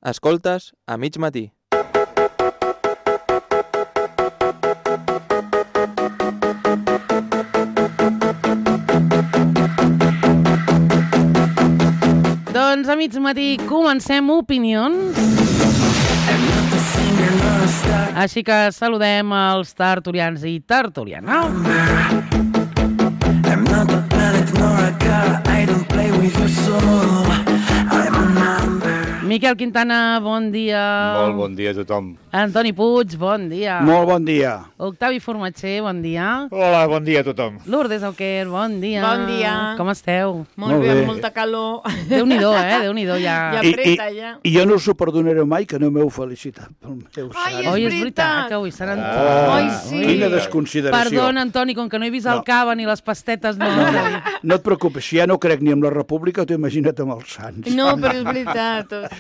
Escoltes a mig matí. Doncs a mig matí comencem opinions. Així que saludem els tertulians i tertulianes. Miquel Quintana, bon dia. Molt bon dia a tothom. Antoni Puig, bon dia. Molt bon dia. Octavi Formatger, bon dia. Hola, bon dia a tothom. Lourdes Auquer, bon dia. Bon dia. Com esteu? Molt bé, amb molta calor. Déu-n'hi-do, Déu-n'hi-do, ja. Ja apreta, ja. I jo no us ho perdonaré mai, que no m'heu felicitat pel meu sant. Oi, és veritat, que avui serà Antoni. Ai, sí. Quina desconsideració. Perdona, Antoni, com que no he vist el cava ni les pastetes, no. No et preocupis, si ja no crec ni amb la República, t'ho imagina't amb els sants. No, però és veritat, ostres.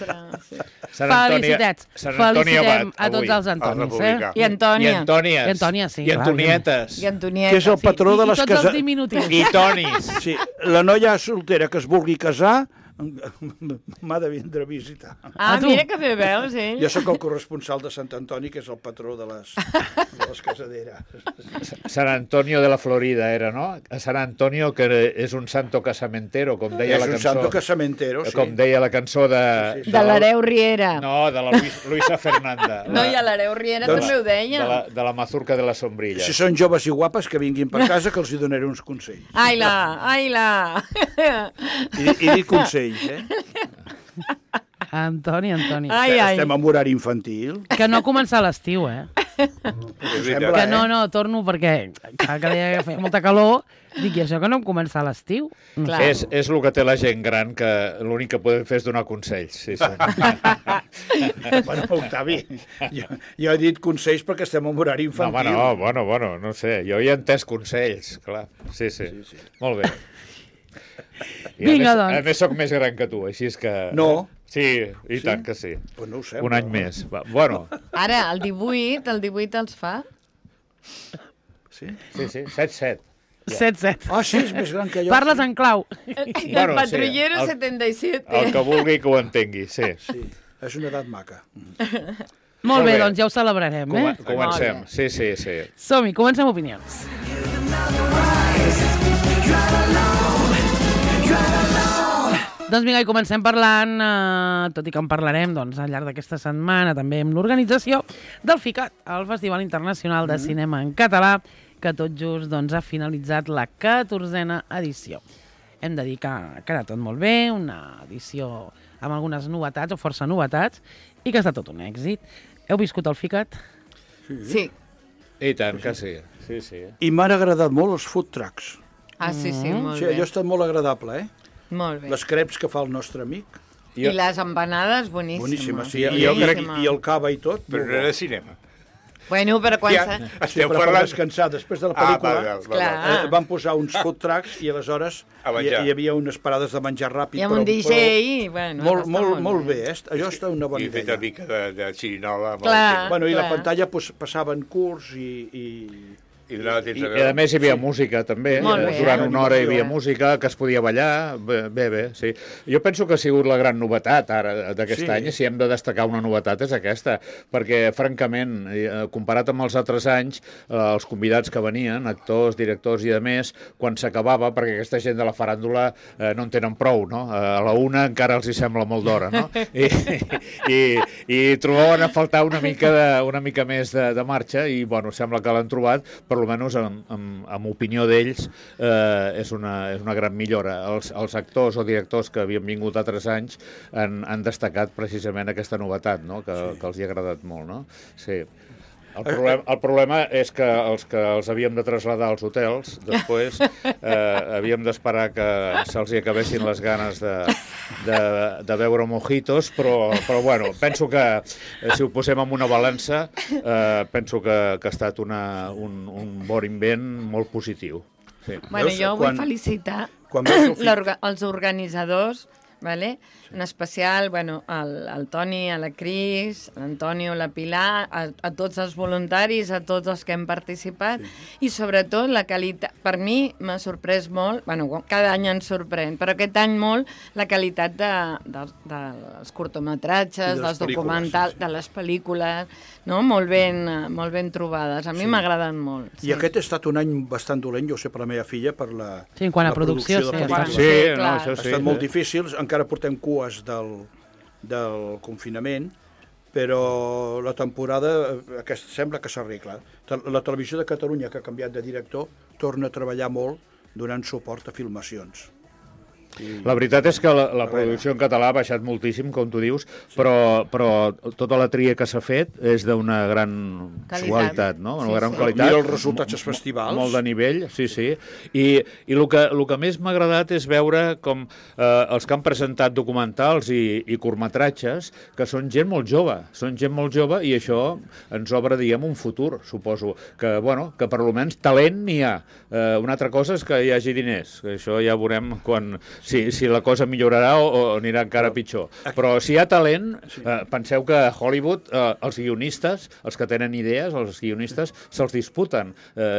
Sí. Felicitats. Sant Antoni Felicitem Abat, a tots avui, els Antonis, el republicà. I Antònia. I Antònies. I Antònia, sí, I clar. Antonietes. I Antonieta. Que és el patró de I les tots els cases. diminutius. I Tonis. Sí, la noia soltera que es vulgui casar m'ha de vindre a visitar. Ah, A tu. mira que bé veus, Jo sóc el corresponsal de Sant Antoni, que és el patró de les casaderes. San Antonio de la Florida era, no? San Antonio, que és un santo casamentero, com deia És la un cançó. santo casamentero, sí. Com deia la cançó de... Sí, sí. De l'Hereu Riera. No, de la Luisa Fernanda. No, i a l'Hereu Riera Doncs- també ho deia. De la mazurca de la sombrilla. Si són joves i guapes, que vinguin per casa, que els hi donaré uns consells. Ai-la. I dic consells, Antoni. Ai. Estem en horari infantil. Que no comença l'estiu, Sembla, Que no, torno perquè clar, que deia que feia molta calor. Dic, i això que no em comença l'estiu? No Clar. sé. És el que té la gent gran, que l'únic que podem fer és donar consells. Sí, sí. Bueno, Octavi, jo he dit consells perquè estem en horari No, home, infantil. bueno, no sé. Jo he entès consells, clar. Sí. Molt bé. I Vinga, a doncs. més soc més gran que tu, així és que... No. Sí, i tant que sí. Pues no ho sembla. Un any més. Va, bueno, Ara, el 18 els fa. Sí? sí, 7-7. 7-7. Ah, sí, és més gran que jo. Parles en clau. El Bueno, patrullero sí, 77. El que vulgui que ho entengui, sí. Sí, és una edat maca. Molt bé, bé. doncs ja ho celebrarem, Comencem. Sí. Som-hi, comencem opinions. Doncs vinga, i comencem parlant, tot i que en parlarem doncs, al llarg d'aquesta setmana, també amb l'organització del FICAT, el Festival Internacional de Cinema en Català, que tot just doncs, ha finalitzat la 14a edició. Hem de dir que ha quedat tot molt bé, una edició amb algunes novetats, o força novetats, i que ha estat tot un èxit. Heu viscut el FICAT? Sí. I tant que sí. Sí. I m'han agradat molt els food trucks. Ah, sí, molt Sí, bé. allò ha estat molt agradable, Molt bé. Les creps que fa el nostre amic, I les empanades, boníssimes. boníssimes. Sí, Boníssima. I el cava i tot. Però no era cinema. Bueno, però quan... Ja, Sí, esteu però per parlant... descansar després de la pel·lícula Clar. van posar uns food trucks i aleshores A hi menjar. havia unes parades de menjar ràpid. I amb un DJ, i bueno... Molt bé, allò està una bona I fet una idea. mica de xirinola. amb el Clar. tema. Bueno, i la Clar. pantalla passaven curts i I donava temps I- a i veure. I a més hi havia música també, Molt bé, durant una hora hi havia eh? música, que es podia ballar, bé, sí. Jo penso que ha sigut la gran novetat ara d'aquest Sí. any, i si hem de destacar una novetat és aquesta, perquè francament, comparat amb els altres anys, els convidats que venien, actors, directors i de més, quan s'acabava, perquè aquesta gent de la faràndula no en tenen prou, no? A la una encara els hi sembla molt d'hora, no? I trobaven a faltar una mica més de marxa, i bueno, sembla que l'han trobat, per almenys amb opinió d'ells, és una gran millora. Els actors o directors que havien vingut altres anys han destacat precisament aquesta novetat, no? que els hi ha agradat molt. No? Sí. El problema és que els havíem de traslladar als hotels, després havíem d'esperar que se'ls hi acabessin les ganes de beure mojitos, però bueno, penso que si ho posem en una balança, penso que ha estat un bon invent molt positiu. Sí. Bueno, Veus, jo vull felicitar quan veus el els organitzadors vale? En especial, bueno, al Toni, a la Cris, a l'Antonio, la Pilar, a tots els voluntaris, a tots els que hem participat, i sobretot la qualitat, per mi m'ha sorprès molt, bueno, cada any ens sorprèn, però aquest any molt la qualitat dels curtometratges, dels documentals, de les pel·lícules, no? Molt ben trobades. A mi m'agraden molt. I aquest ha estat un any bastant dolent, jo ho sé per la meva filla, per la Sí, en quant a producció, de sí, pel·lícules. Sí, no, clar. això Ha sí. estat molt difícil, encara portem cues del confinament, però la temporada aquesta sembla que s'arregla. La Televisió de Catalunya, que ha canviat de director, torna a treballar molt donant suport a filmacions. La veritat és que la producció en català ha baixat moltíssim, com tu dius, però tota la tria que s'ha fet és d'una gran qualitat, no? Una gran qualitat. Mira els resultats als festivals. Molt de nivell, sí. I el que més m'ha agradat és veure com els que han presentat documentals i curtmetratges, que són gent molt jove, i això ens obre, diguem, un futur, suposo, que per almenys talent n'hi ha. Una altra cosa és que hi hagi diners, que això ja veurem quan... Si la cosa millorarà o anirà encara pitjor. Però si hi ha talent, penseu que a Hollywood els guionistes, els que tenen idees, els guionistes, se'ls disputen.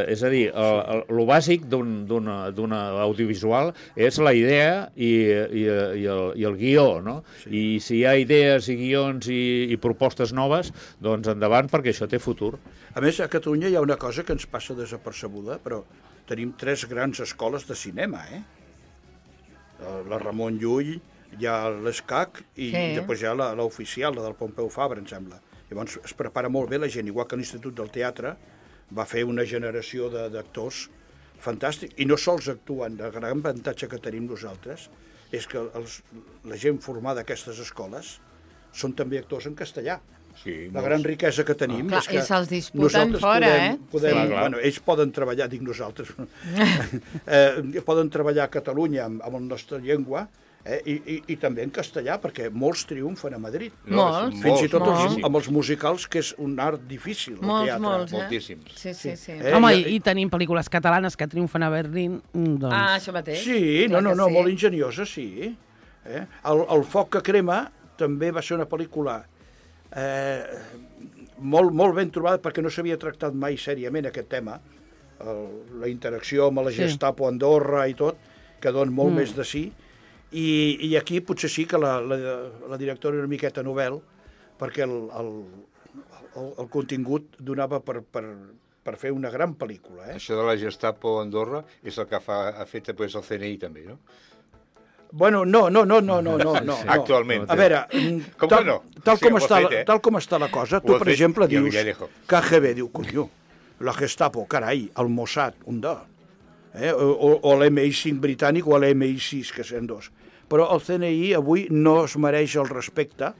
És a dir, el bàsic d'un audiovisual és la idea i el guió, no? I si hi ha idees i guions i propostes noves, doncs endavant, perquè això té futur. A més, a Catalunya hi ha una cosa que ens passa desapercebuda, però tenim 3 grans escoles de cinema, la Ramon Llull, hi ha l'ESCAC i després hi ha l'oficial, la del Pompeu Fabra, em sembla. Llavors es prepara molt bé la gent, igual que l'Institut del Teatre va fer una generació d'actors fantàstic, i no sols actuen, el gran avantatge que tenim nosaltres és que la gent formada a aquestes escoles són també actors en castellà. Sí, la gran riquesa que tenim és que i se'ls disputen fora, ells poden treballar, dic nosaltres, poden treballar a Catalunya amb la nostra llengua i també en castellà, perquè molts triomfen a Madrid. Molts. Fins i tot amb els musicals, que és un art difícil, el teatre. Moltíssims. Sí. Home, i tenim pel·lícules catalanes que triomfen a Berlín, doncs... Ah, això mateix. Sí, molt enginyosa, sí. El foc que crema també va ser una pel·lícula molt ben trobada, perquè no s'havia tractat mai sèriament aquest tema, la interacció amb la Gestapo a Andorra i tot, que dona molt més de sí, i aquí potser sí que la directora era una miqueta novel, perquè el contingut donava per fer una gran pel·lícula. Això de la Gestapo a Andorra és el que ha fet després el CNI també, no? Bueno, no. Actualment. A veure, tal com està la cosa, tu, per exemple, dius KGB, diu, conyo, la Gestapo, carai, el Mossad, un de, o l'MI5 britànic o l'MI6, que són dos. Però el CNI avui no es mereix el respecte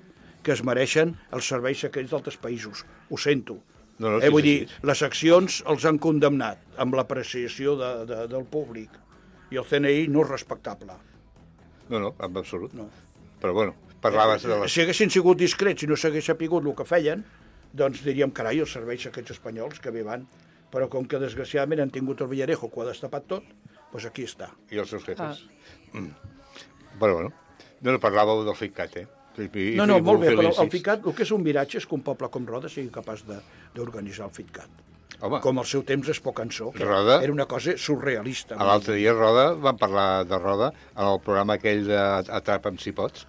que es mereixen els serveis secrets d'altres països. Ho sento. Vull dir, les accions els han condemnat amb l'apreciació del públic, i el CNI no és respectable. No, en absolut. No. Però, bueno, parlaves de Si haguessin sigut discrets i no s'hagués sapigut el que feien, doncs diríem, carai, els serveis aquests espanyols que bé van. Però com que, desgraciadament, han tingut el Villarejo, que ho ha destapat tot, doncs aquí està. I els seus jefes. Però, bueno, no parlàveu del FICAT, No, molt bé, però el FICAT, el que és un miratge és que un poble com Roda sigui capaç d'organitzar el FICAT. Home, com al seu temps Espó Cançó, que Roda, era una cosa surrealista. L'altre dia Roda, vam parlar de Roda en el programa aquell d'Atrapa'm si pots.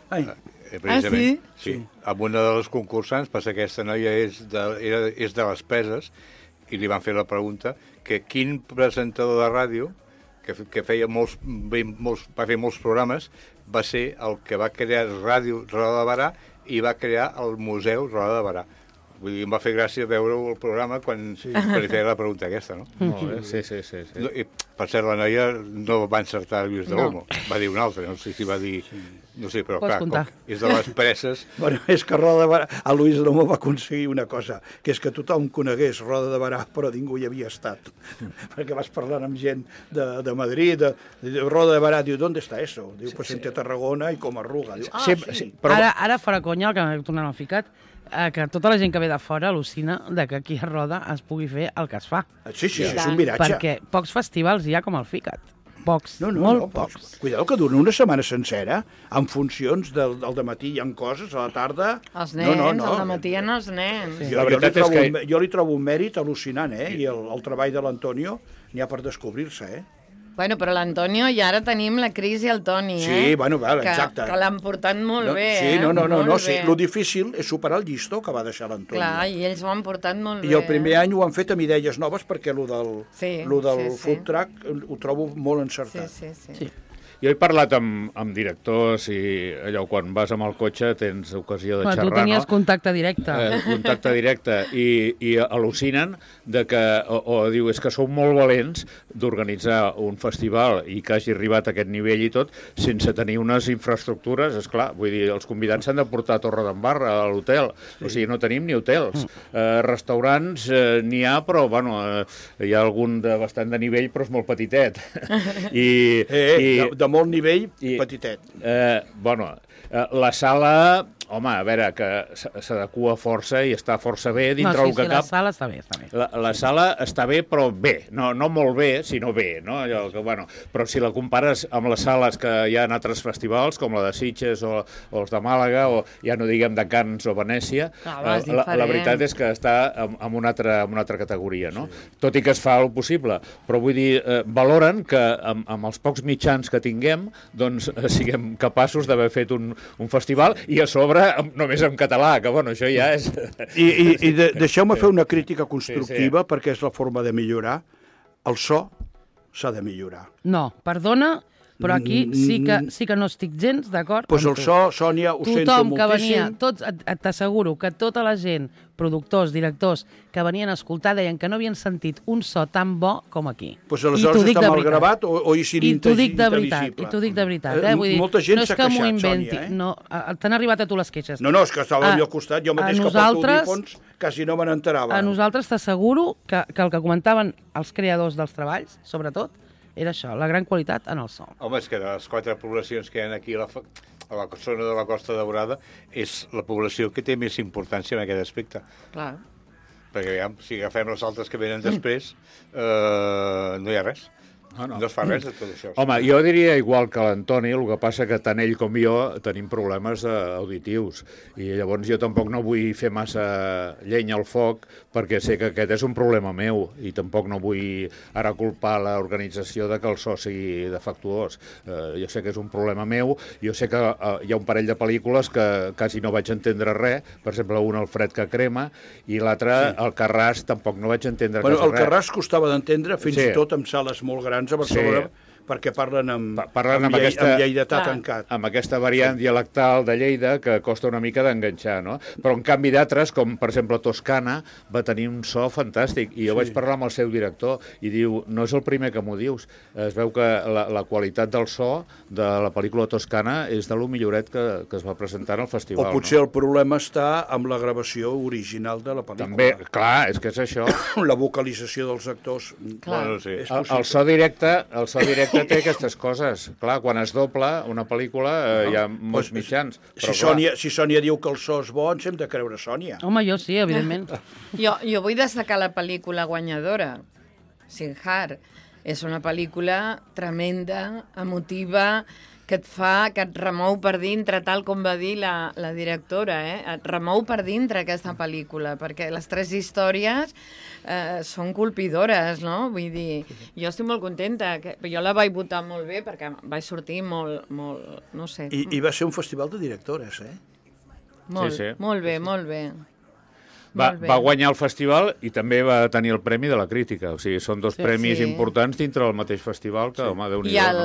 Sí? Sí. Amb una de les concursants, passa que aquesta noia és de les Preses, i li van fer la pregunta que quin presentador de ràdio que va fer molts programes va ser el que va crear Ràdio Roda de Barà i va crear el Museu Roda de Barà. Vull dir, em va fer gràcia veure el programa quan li feia la pregunta aquesta, no? Molt bé, sí. I, per cert, la noia no va encertar Lluís de Olmo, va dir un altre, no sé si va dir... No sé, però clar, com és de les Preses... Bueno, és que Roda de Barà, a Lluís de Olmo va aconseguir una cosa, que és que tothom conegués Roda de Barà, però ningú hi havia estat. Perquè vas parlant amb gent de Madrid, de Roda de Barà, diu, ¿dónde está eso? Diu, pues entre Tarragona i Comarruga. Diu, sí. Ara, fora conya, el que tornem al FICAT, que tota la gent que ve de fora al·lucina que aquí a Roda es pugui fer el que es fa. Sí, és un miratge. Perquè pocs festivals hi ha com el FICAT. pocs, No, molt pocs. Cuidado que dura una setmana sencera, en funcions del dematí hi ha coses, a la tarda... Els nens, al matí hi ha els nens. Sí. La veritat és que... Jo li trobo un mèrit al·lucinant, I el treball de l'Antonio n'hi ha per descobrir-se, Bueno, però l'Antonio i ara tenim la Cris i el Toni, Sí, bueno, val, exacte. Que l'han portat molt bé, Sí, no, Molt sí. bé. Lo difícil és superar el llistó que va deixar l'Antonio. Clar, i ells ho han portat molt bé. I el primer any ho han fet amb idees noves perquè lo del Sí. food truck ho trobo molt encertat. Sí. Jo he parlat amb directors i allò, quan vas amb el cotxe tens ocasió de xerrar, Tu tenies no? contacte directe. Contacte directe i al·lucinen de que, o diu, és que sou molt valents d'organitzar un festival i que hagi arribat a aquest nivell i tot sense tenir unes infraestructures, és clar, vull dir, els convidats s'han de portar a Torredembarra, a l'hotel, o sigui, no tenim ni hotels. Restaurants n'hi ha, però, bueno, hi ha algun de bastant de nivell, però és molt petitet. De molt nivell, petitet. La sala, home, a veure, que s'adequa força i està força bé dintre el que cap. La sala està bé, està bé. La sala està bé, però bé. No molt bé, sinó bé, no? Allò que, bueno, però si la compares amb les sales que hi ha en altres festivals, com la de Sitges o els de Màlaga, o ja no diguem de Canes o Venècia, la veritat és que està en una altra categoria, no? Tot i que es fa el possible. Però vull dir, valoren que amb els pocs mitjans que tinguem, doncs siguem capaços d'haver fet un festival i a sobre només en català, que bueno, això ja és... I deixeu-me fer una crítica constructiva, perquè és la forma de millorar. El so s'ha de millorar. No, perdona, però aquí sí que no estic gens d'acord Doncs el amb tu. so, Sònia, ho sento Tothom que venia, moltíssim. t'asseguro que tota la gent, productors, directors, que venien a escoltar deien que no havien sentit un so tan bo com aquí. Doncs aleshores està mal gravat o és I t'ho dic de inintel·ligible. veritat, i t'ho dic de veritat. Vull dir, molta gent no és s'ha que m'ho queixat, inventi. Sònia, No, t'han arribat a tu les queixes. No, és que estava allò al costat, jo mateix que porto nosaltres- audífons quasi no me n'enterava. A nosaltres t'asseguro que el que comentaven els creadors dels treballs, sobretot, era això, la gran qualitat en el so. Home, és que de les 4 poblacions que hi ha aquí a la zona de la Costa Daurada és la població que té més importància en aquest aspecte. Clar. Perquè, aviam, si agafem les altres que venen després, no hi ha res. No es fa res de tot això. Home, jo diria igual que l'Antoni, el que passa que tant ell com jo tenim problemes auditius i llavors jo tampoc no vull fer massa llenya al foc perquè sé que aquest és un problema meu i tampoc no vull ara culpar l'organització de que el so sigui defectuós. Jo sé que és un problema meu, jo sé que hi ha un parell de pel·lícules que quasi no vaig entendre res, per exemple, un el fred que crema i l'altre, el Carràs, tampoc no vaig entendre quasi res. El Carràs costava d'entendre fins i tot amb sales molt grans a Barcelona, perquè parlen amb lleidatà tancat. Amb aquesta variant dialectal de Lleida que costa una mica d'enganxar, no? Però en canvi d'altres, com per exemple Toscana, va tenir un so fantàstic. I jo vaig parlar amb el seu director i diu, no és el primer que m'ho dius. Es veu que la qualitat del so de la pel·lícula Toscana és de lo milloret que es va presentar al festival. O potser el problema està amb la gravació original de la pel·lícula. També, clar, és que és això. La vocalització dels actors. Bueno, sí. El so directe té aquestes coses. Clar, quan es dobla una pel·lícula hi ha molts mitjans. Si Sònia diu que el so és bo, ens hem de creure Sònia. Home, jo sí, evidentment. Jo vull destacar la pel·lícula guanyadora, Sinjar. És una pel·lícula tremenda, emotiva, que et remou per dintre, tal com va dir la directora, et remou per dintre aquesta pel·lícula, perquè les 3 històries són colpidores, no? Vull dir, jo estic molt contenta, jo la vaig votar molt bé perquè vaig sortir molt no sé. I va ser un festival de directores, Molt bé, molt bé. Va guanyar el festival i també va tenir el premi de la crítica. O sigui, són 2 premis importants dintre del mateix festival que, home, Déu-n'hi-do,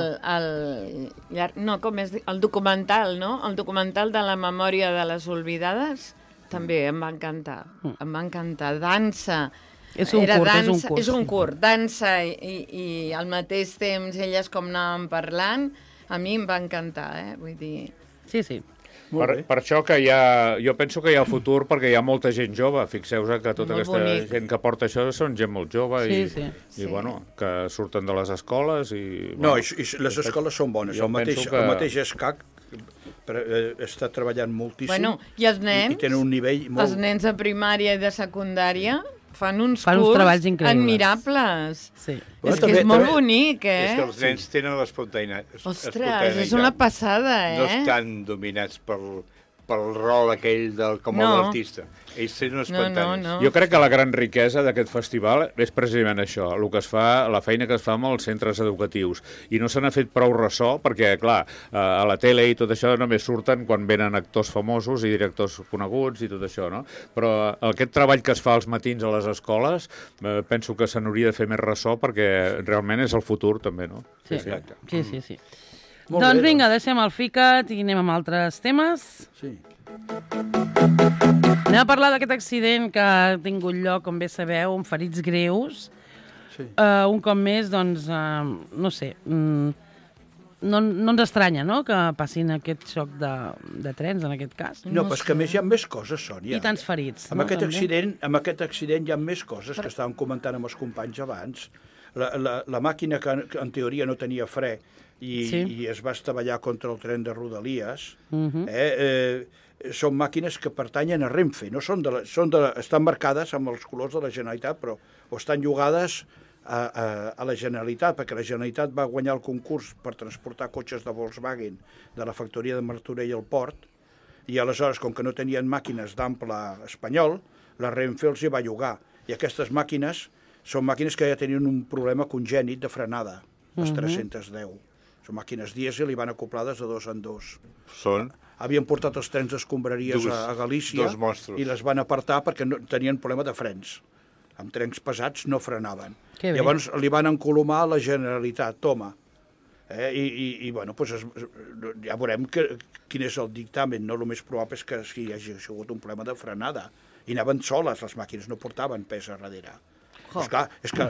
el documental, no? El documental de la memòria de les oblidades també em va encantar. Em va encantar. Dansa. És un curt. Dansa i al mateix temps elles com anàvem parlant, a mi em va encantar, vull dir... Sí. Per això que jo penso que hi ha futur perquè hi ha molta gent jove. Fixeu-vos que tota aquesta gent que porta això són gent molt jove i bueno, que surten de les escoles i... No, i les escoles són bones. El mateix ESCAC està treballant moltíssim. Bueno, i els nens? I tenen un nivell molt... Els nens de primària i de secundària fan uns treballs increïbles. admirables. Sí. És que és molt bonic, És que eh? els nens tenen l'espontaneïtat. Ostres, és una passada, No eh? estan dominats pel rol aquell com a l'artista. Ells tenen espontanis. No. Jo crec que la gran riquesa d'aquest festival és precisament això, el que es fa, la feina que es fa amb els centres educatius. I no se n'ha fet prou ressò perquè, clar, a la tele i tot això només surten quan venen actors famosos i directors coneguts i tot això, no? Però aquest treball que es fa als matins a les escoles penso que se n'hauria de fer més ressò perquè realment és el futur també, no? Sí. Sí. Molt Doncs bé, vinga, deixem el FICAT i anem amb altres temes. Sí. Anem a parlar d'aquest accident que ha tingut lloc, com bé sabeu, amb ferits greus. Sí. Un cop més, doncs, no sé, no ens estranya, no?, que passin aquest xoc de trens, en aquest cas. No, però és que a més hi ha més coses, Sònia. I tants ferits, Amb no? aquest També. accident hi ha més coses que estàvem comentant amb els companys abans. La màquina que en teoria no tenia fre i es va estavellar contra el tren de Rodalies, són màquines que pertanyen a Renfe, no estan marcades amb els colors de la Generalitat, però estan llogades a la Generalitat, perquè la Generalitat va guanyar el concurs per transportar cotxes de Volkswagen de la factoria de Martorell al port, i aleshores, com que no tenien màquines d'ample espanyol, la Renfe els hi va llogar. I aquestes màquines són màquines que ja tenien un problema congènit de frenada, les 310. Són màquines dièsel i van acoplades de 2 en 2. Havien portat els trens d'escombraries a Galícia i les van apartar perquè tenien problema de frens. Amb trens pesats no frenaven. Llavors li van encolomar a la Generalitat, toma. I bueno, ja veurem quin és el dictamen. No? El més probable és que hi hagi sigut un problema de frenada. I anaven soles, les màquines no portaven pes a darrere. Esclar, és que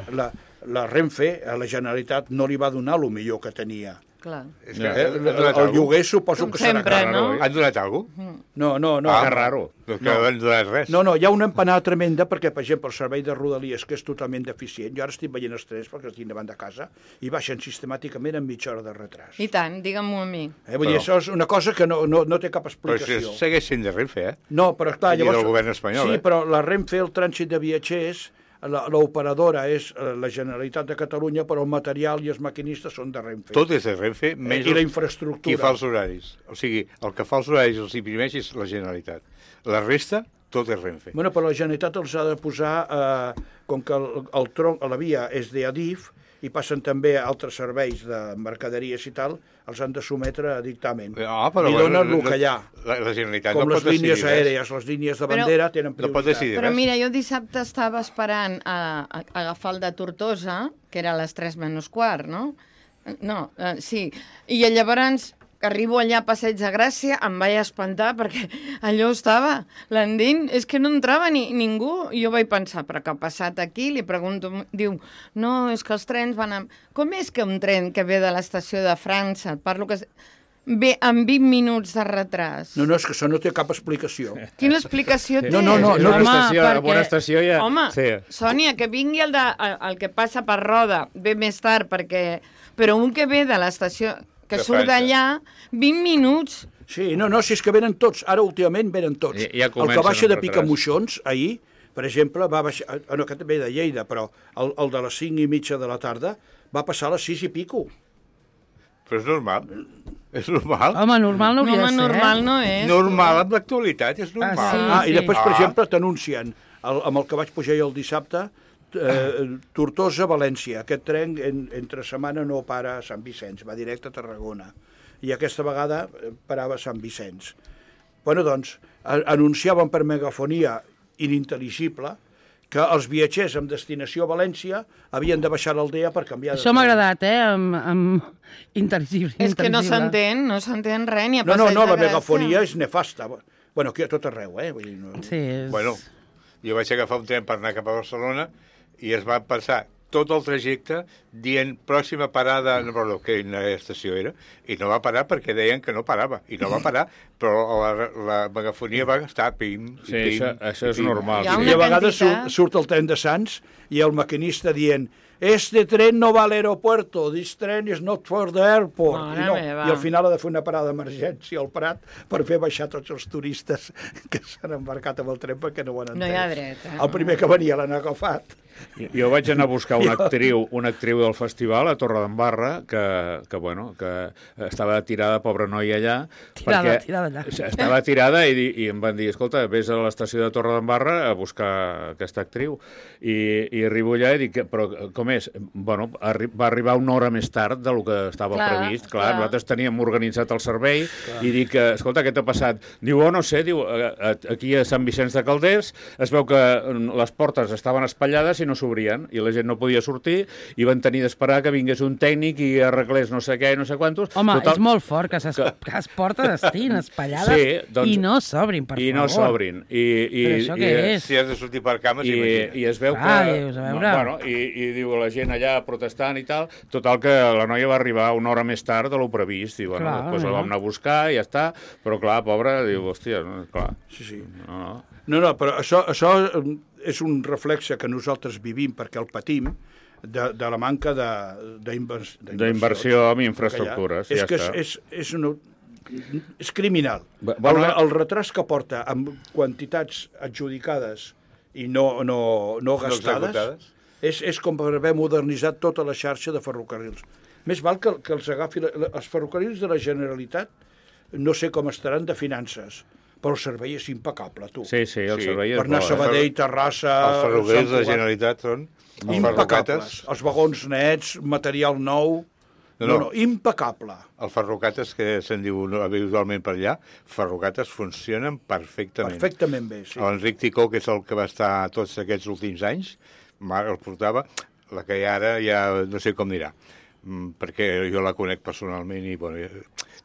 la Renfe, a la Generalitat, no li va donar el millor que tenia. Clar. El lloguer suposo que serà car. Han donat alguna cosa? No. Que raro. Que no han donat res. No, hi ha una empanada tremenda perquè, per exemple, el servei de Rodalies, que és totalment deficient, jo ara estic veient els trens perquè els tinc davant de casa, i baixen sistemàticament en mitja hora de retras. I tant, digue-m'ho a mi. Vull dir, això és una cosa que no té cap explicació. Però segueix sent de Renfe, No, però clar, llavors... I del govern espanyol, Sí, però la Renfe, el trànsit de viatgers, l'operadora és la Generalitat de Catalunya, però el material i els maquinistes són de Renfe. Tot és de Renfe, menys I la infraestructura. Qui fa els horaris. O sigui, el que fa els horaris els imprimeix és la Generalitat. La resta, tot és Renfe. Bueno, però la Generalitat els ha de posar, com que el tronc, la via és d'Adif, i passen també altres serveis de mercaderies i tal, els han de sometre a dictamen. Però I donen el que hi ha. La Generalitat Com no les pot decidir línies aèries, les línies de bandera tenen No pot prioritat. decidir Però res. mira, jo dissabte estava esperant a agafar el de Tortosa, que era a les 3 menys quart, no? No, sí. I llavors que arribo allà a Passeig de Gràcia, em vaig espantar perquè allò estava, l'endint, és que no entrava ningú. I jo vaig pensar, però què ha passat aquí? Li pregunto, diu, no, és que els trens van amb... Com és que un tren que ve de l'estació de França, parlo que ve amb 20 minuts de retras? No, és que això no té cap explicació. Quina explicació té? No, Una estació ja... Home, Sí. Sònia, que vingui el que passa per Roda, ve més tard, perquè... Però un que ve de l'estació, que De surt França. d'allà, 20 minuts... Sí, si és que venen tots, ara últimament venen tots. Ja El comencen que baixa amb de retras. Picamoixons, ahir, per exemple, va baixar... No, que també de Lleida, però el de les 5:30 de la tarda va passar a les 6 i pico. Però és normal. És normal. Home, normal no hauria de ser, normal no és. Normal amb l'actualitat, és normal. sí. I després, per exemple, t'anuncien, amb el que vaig pujar jo el dissabte, Tortosa-València. Aquest tren entre setmana no para a Sant Vicenç, va directe a Tarragona. I aquesta vegada parava a Sant Vicenç. Bueno, doncs, anunciaven per megafonia inintel·ligible que els viatgers amb destinació a València havien de baixar l'Aldea per canviar de Això m'ha tren. agradat, amb intel·ligible. És que no s'entén res, ni a No, Passeig la de Gràcia. megafonia és nefasta. Bueno, aquí a tot arreu, Vull dir, no... Sí, és... Bueno, jo vaig agafar un tren per anar cap a Barcelona i es va pensar tot el trajecte dient pròxima parada, no recordo quina estació era, i no va parar perquè deien que no parava, i no va parar, però la megafonia va estar pim, Sí, pim, això és pim. normal. Hi ha Sí. una I a vegades quantitat- surt el tren de Sants i el maquinista dient este tren no va a l'aeropuerto, this train is not for the airport. Mare meva. I al final ha de fer una parada d'emergència al Prat per fer baixar tots els turistes que s'han embarcat amb el tren perquè no ho han entès. No hi ha dret, eh? El primer que venia l'han agafat. Jo vaig anar a buscar una actriu del festival a Torredembarra que estava tirada, pobra noia allà. Tirada allà. Estava tirada i em van dir, escolta, vés a l'estació de Torredembarra a buscar aquesta actriu. I arribo allà i dic, però com és? Bueno, va arribar una hora més tard del que estava previst. Clar, nosaltres teníem organitzat el servei i dic, escolta, què t'ha passat? Diu, no sé, diu, aquí a Sant Vicenç de Calders es veu que les portes estaven espatllades i no s'obrien, i la gent no podia sortir, i van tenir d'esperar que vingués un tècnic i arreglés no sé què i no sé quantos. Home, és molt fort que les portes estiguin espatllades i no s'obrin, per favor. I no s'obrin. Però això què és? Si has de sortir per cames, imagina't. I es veu que... Dius, a veure... Bueno, i diu la gent allà protestant i tal, total que la noia va arribar una hora més tard de lo previst, i bueno, després la vam anar a buscar i ja està, però clar, pobra, diu, hòstia, clar. Sí. No. No, però això és un reflexe que nosaltres vivim perquè el patim de la manca d'inversió en infraestructures. És ja que està. és criminal. Bueno, El retras que porta amb quantitats adjudicades i no gastades executades. és com per haver modernitzat tota la xarxa de ferrocarrils. Més val que els agafi... Els ferrocarrils de la Generalitat no sé com estaran de finances, però el servei és impecable, tu. Sí, el servei és Per anar a Sabadell, Terrassa... Els ferrocarrils de la Sant Cugat, Generalitat són impecables. Els vagons nets, material nou... No, impecable. Els ferrocates, que se'n diu habitualment per allà, ferrocates funcionen perfectament. Perfectament bé, sí. L'Enric Ticó, que és el que va estar tots aquests últims anys, el portava, la que hi ha ara ja no sé com dirà, perquè jo la conec personalment i, bueno,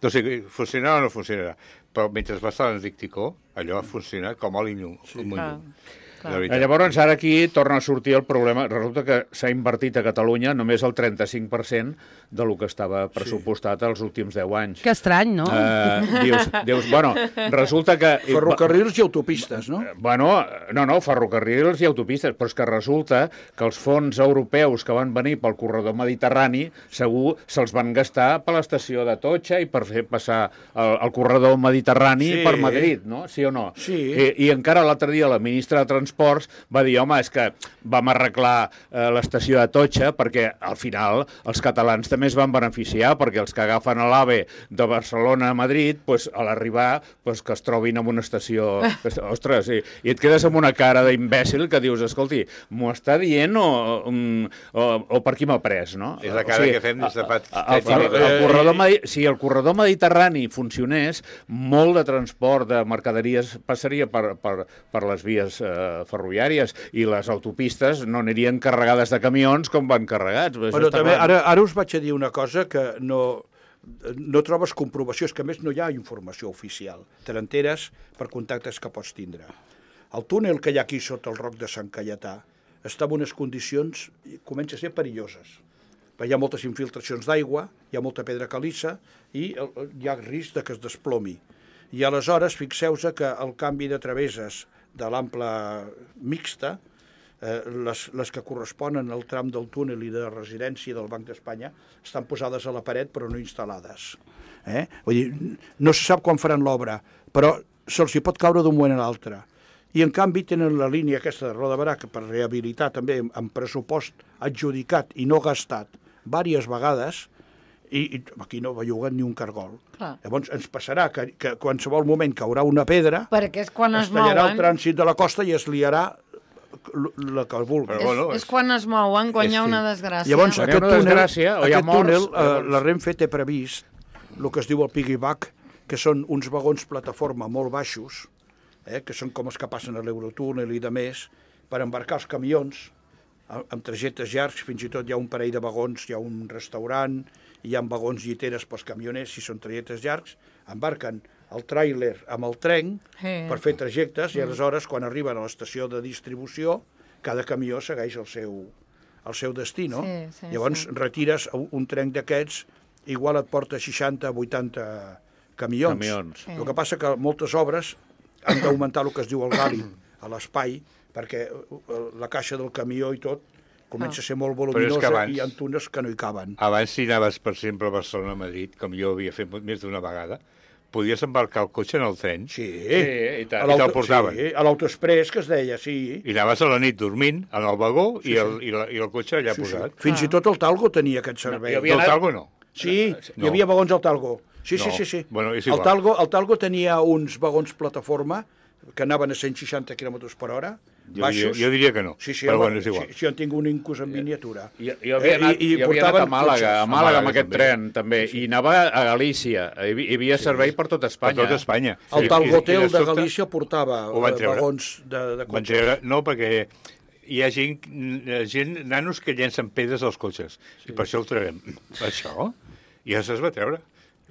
no sé, funcionarà o no funcionarà, però mentre va estar l'Enric Ticó, allò ha funcionat com a l'Inyú. Sí. Llavors, ara aquí torna a sortir el problema. Resulta que s'ha invertit a Catalunya només el 35% del que estava pressupostat els últims 10 anys. Que estrany, no? Dius, bueno, resulta que... Ferrocarrils i autopistes, no? Bueno, no, ferrocarrils i autopistes, però és que resulta que els fons europeus que van venir pel corredor mediterrani segur se'ls van gastar per l'estació de Totxa i per fer passar el corredor mediterrani per Madrid, no? Sí o no? Sí. I encara l'altre dia la ministra de Transports va dir, home, és que vam arreglar l'estació de Totxa perquè al final els catalans també es van beneficiar, perquè els que agafen l'AVE de Barcelona a Madrid, pues, a l'arribar pues, que es trobin en una estació... Ostres, i et quedes amb una cara d'imbècil que dius, escolti, m'ho està dient o per qui m'ha pres, no? És la cara que fem des de fa... Si el corredor mediterrani funcionés, molt de transport de mercaderies passaria per les vies ferroviàries i les autopistes no anirien carregades de camions com van carregats. Però també, ara us vaig a dir una cosa que no trobes comprovació, és que a més no hi ha informació oficial. Te n'enteres per contactes que pots tindre. El túnel que hi ha aquí sota el Roc de Sant Caietà està en unes condicions, comença a ser perilloses. Hi ha moltes infiltracions d'aigua, hi ha molta pedra caliça i hi ha risc de que es desplomi. I aleshores, fixeu-vos que el canvi de traveses de l'ample mixta, les que corresponen al tram del túnel i de residència del Banc d'Espanya, estan posades a la paret però no instal·lades. Vull dir, no se sap quan faran l'obra, però se'ls hi pot caure d'un moment a l'altre. I en canvi tenen la línia aquesta de Roda Barà, que per rehabilitar també amb pressupost adjudicat i no gastat diverses vegades, i aquí no belluguen ni un cargol. Clar. Llavors ens passarà que qualsevol moment caurà una pedra, Perquè és quan es tallarà el mouen... trànsit de la costa i es liarà la que vulgui. És quan es mouen, quan hi ha una desgràcia. Llavors, Quan hi ha una desgràcia o hi ha morts, la Renfe té previst el que es diu el piggyback, que són uns vagons plataforma molt baixos, que són com els que passen a l'Eurotúnel i de més, per embarcar els camions amb trajectes llargs, fins i tot hi ha un parell de vagons, hi ha un restaurant, hi ha vagons lliteres pels camioners, si són trajectes llargs, embarquen el tràiler amb el tren per fer trajectes i aleshores quan arriben a l'estació de distribució cada camió segueix al seu destí, no? Sí, Llavors retires un tren d'aquests, igual et porta 60-80 camions. Sí. El que passa que moltes obres han d'augmentar el que es diu el gali a l'espai, perquè la caixa del camió i tot comença a ser molt voluminosa i hi ha túnels que no hi caben. Abans, si anaves, per exemple, a Barcelona-Madrid, com jo havia fet més d'una vegada, podies embarcar el cotxe en el tren Sí, i te'l portaven. Sí, a l'autoexprés, que es deia, sí. I anaves a la nit dormint en el vagó i el cotxe allà posat. Fins i tot el Talgo tenia aquest servei. El Talgo no. Sí, hi havia vagons al Talgo. Sí. Bueno, és el igual. Talgo tenia uns vagons plataforma que anaven a 160 km per hora, baixos. Jo diria que no, Sí, però bueno, és igual. Sí, jo en tinc un incús en miniatura. Jo havia anat a Màlaga, amb aquest tren, també, i anava a Galícia. Hi havia servei per tot Espanya. Per tot Espanya. El Talgotel de Galícia portava vagons de Van cotxes. treure, no, perquè hi ha gent, nanos que llencen pedres als cotxes, i per això el traurem. Això? I ja se'ls va treure.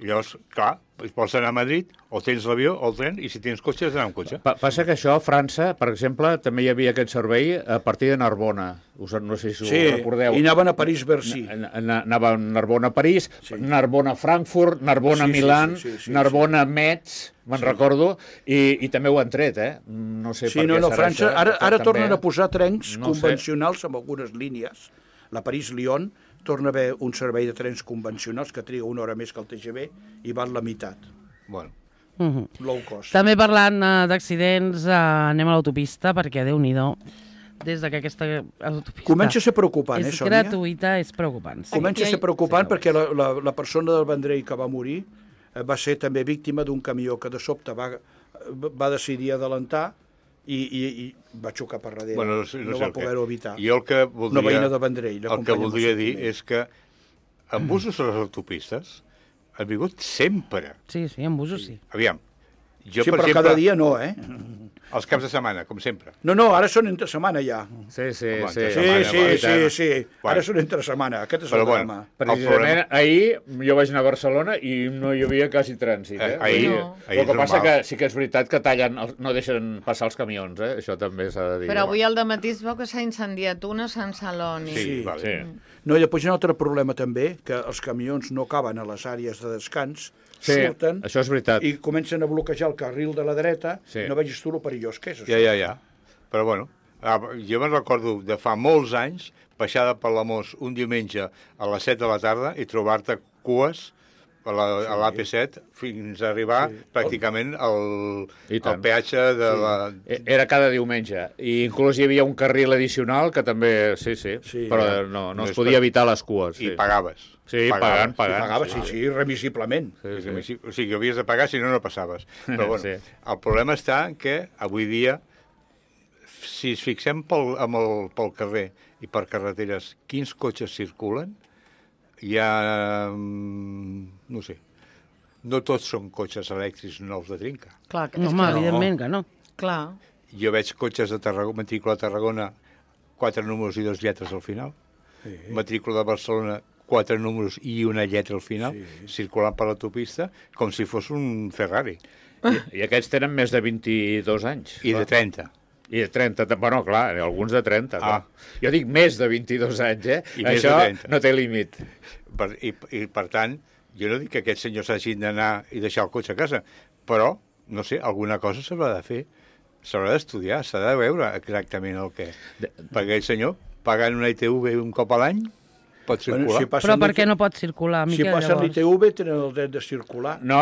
I llavors, clar, vols anar a Madrid, o tens l'avió o el tren, i si tens cotxe, has d'anar amb cotxe. Passa que això, a França, per exemple, també hi havia aquest servei a partir de Narbona. No sé si ho recordeu. I anaven a París-Bercy. Anava a Narbona-París, Narbona-Frankfurt, Narbona-Milán, Narbona-Metz, me'n recordo, i també ho han tret, No sé per què serà França, això. ara tornen a posar trens convencionals amb algunes línies. La París-Lyon torna a haver un servei de trens convencionals que triga una hora més que el TGV i val la meitat. Bueno. Low cost. També parlant d'accidents, anem a l'autopista, perquè, Déu-n'hi-do, des que aquesta autopista Comença a ser preocupant, és Sònia? gratuïta, és preocupant. Sí. Comença a ser preocupant perquè la persona del Vendrell que va morir va ser també víctima d'un camió que de sobte va decidir adelantar i va xocar per darrere. Bueno, no va poder-ho evitar. Jo el que voldria, Una veïna de Vendrell. el que voldria dir és que en busos a les autopistes han vingut sempre. Sí, en busos sí. Aviam, jo, Sí, per però exemple, cada dia no, els caps de setmana, com sempre. No, ara són entre setmana ja. Sí. Sí. Ara són entre setmana. Aquest és el drama. Precisament ahir jo vaig anar a Barcelona i no hi havia quasi trànsit. Ahir El que passa que sí que és veritat que tallen, no deixen passar els camions, Això també s'ha de dir. Però avui al dematí es veu que s'ha incendiat una a Sant Celoni. Sí, vale. No, i després hi ha un altre problema també, que els camions no caben a les àrees de descans, surten això és veritat. i comencen a bloquejar el carril de la dreta. No vegis tu el perillós que és, això. Ja. Però bueno, jo me'n recordo de fa molts anys, baixada per la Mos un diumenge a les 7 de la tarda i trobar-te cues a l'AP7 fins a arribar pràcticament al peatge de la... Era cada diumenge. I inclús hi havia un carril addicional que també... Sí. Però no es podia evitar les cues. I pagaves. Sí, pagant. Pagaves, sí, remisiblement. O sigui, havies de pagar, si no passaves. Però bueno, el problema està que avui dia, si ens fixem pel carrer i per carreteres, quins cotxes circulen, hi ha... no sé, no tots són cotxes elèctrics nous de trinca. Clar, evidentment que no. Clar. Jo veig cotxes de matrícula de Tarragona, 4 números i 2 lletres al final. Matrícula de Barcelona, 4 números i una lletra al final, circulant per l'autopista, com si fos un Ferrari. I aquests tenen més de 22 anys. I de 30. I de 30, bueno, clar, alguns de 30. Jo dic més de 22 anys, I això no té límit. I per tant, jo no dic que aquests senyors hagin d'anar i deixar el cotxe a casa, però, no sé, alguna cosa s'haurà de fer. S'haurà d'estudiar, s'ha de veure exactament el que... Perquè aquell senyor, pagant una ITV un cop a l'any, pot circular. Però per què no pot circular, Miquel, llavors? Si passen l'ITV, tenen el dret de circular. No,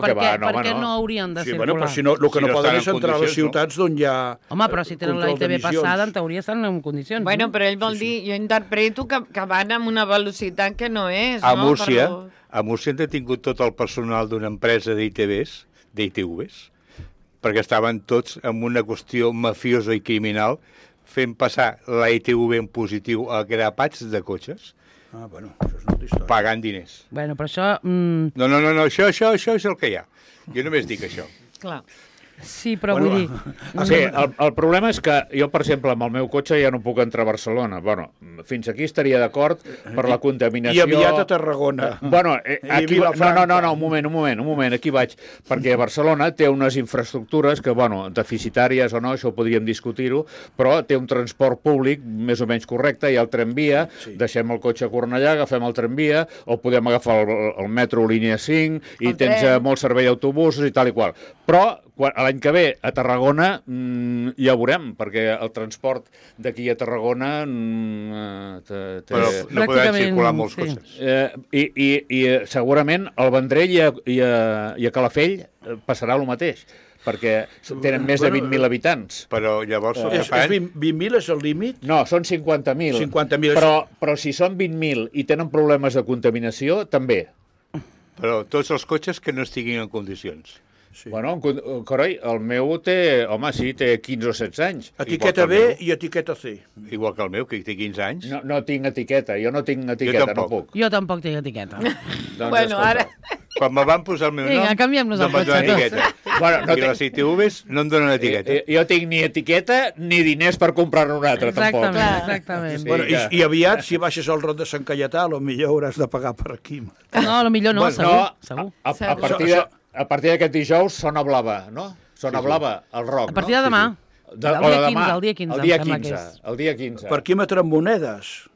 per què no haurien de circular? Bueno, però si no, el que no poden és entrar a les ciutats d'on hi ha... Home, però si tenen la ITV passada, en teoria estan en condicions. Bueno, però ell vol dir, jo interpreto que van amb una velocitat que no és, a Múrcia han detingut tot el personal d'una empresa d'ITVs, perquè estaven tots en una qüestió mafiosa i criminal fent passar la ITV en positiu a grapats de cotxes. Bueno, això és una altra història. Pagant diners. Bueno, però això... No, això és el que hi ha. Jo només dic això. Clar. Sí, però vull dir... Sí, el problema és que jo, per exemple, amb el meu cotxe ja no puc entrar a Barcelona. Bueno, fins aquí estaria d'acord per la contaminació... I aviat a Tarragona. Bueno, aquí... No, un moment, aquí vaig. Perquè Barcelona té unes infraestructures que, bueno, deficitàries o no, això ho podríem discutir-ho, però té un transport públic més o menys correcte, hi ha el tramvia, deixem el cotxe a Cornellà, agafem el tramvia, o podem agafar el metro línia 5, i tens molt servei d'autobusos i tal i qual. Però l'any que ve a Tarragona ja ho veurem, perquè el transport d'aquí a Tarragona... Però no podran circular molts cotxes. I segurament al Vendrell i a Calafell passarà el mateix, perquè tenen més de 20.000 habitants. Però llavors... 20.000 és el límit? No, són 50.000. 50.000. Però si són 20.000 i tenen problemes de contaminació, també. Però tots els cotxes que no estiguin en condicions. Sí. Bueno, carai, el meu té 15 o 16 anys. Etiqueta B i etiqueta C. Igual que el meu, que té 15 anys. No tinc etiqueta, jo no tinc etiqueta, no puc. Jo tampoc tinc etiqueta. Doncs bueno, ara... Quan me van posar el meu nom, canviem-nos no em van donar etiqueta. Bueno, I les ITVs no em donen etiqueta. Jo tinc ni etiqueta ni diners per comprar-ne una altra, tampoc. Exactament. Sí, bueno, i aviat, si baixes al Rot de Sant Caietà, potser hauràs de pagar per aquí. No, potser no, segur. A partir d'aquest dijous, Sona Blava, no? Sona Blava, el rock, no? A partir de demà. El dia 15. El dia 15. Parquímetre amb monedes.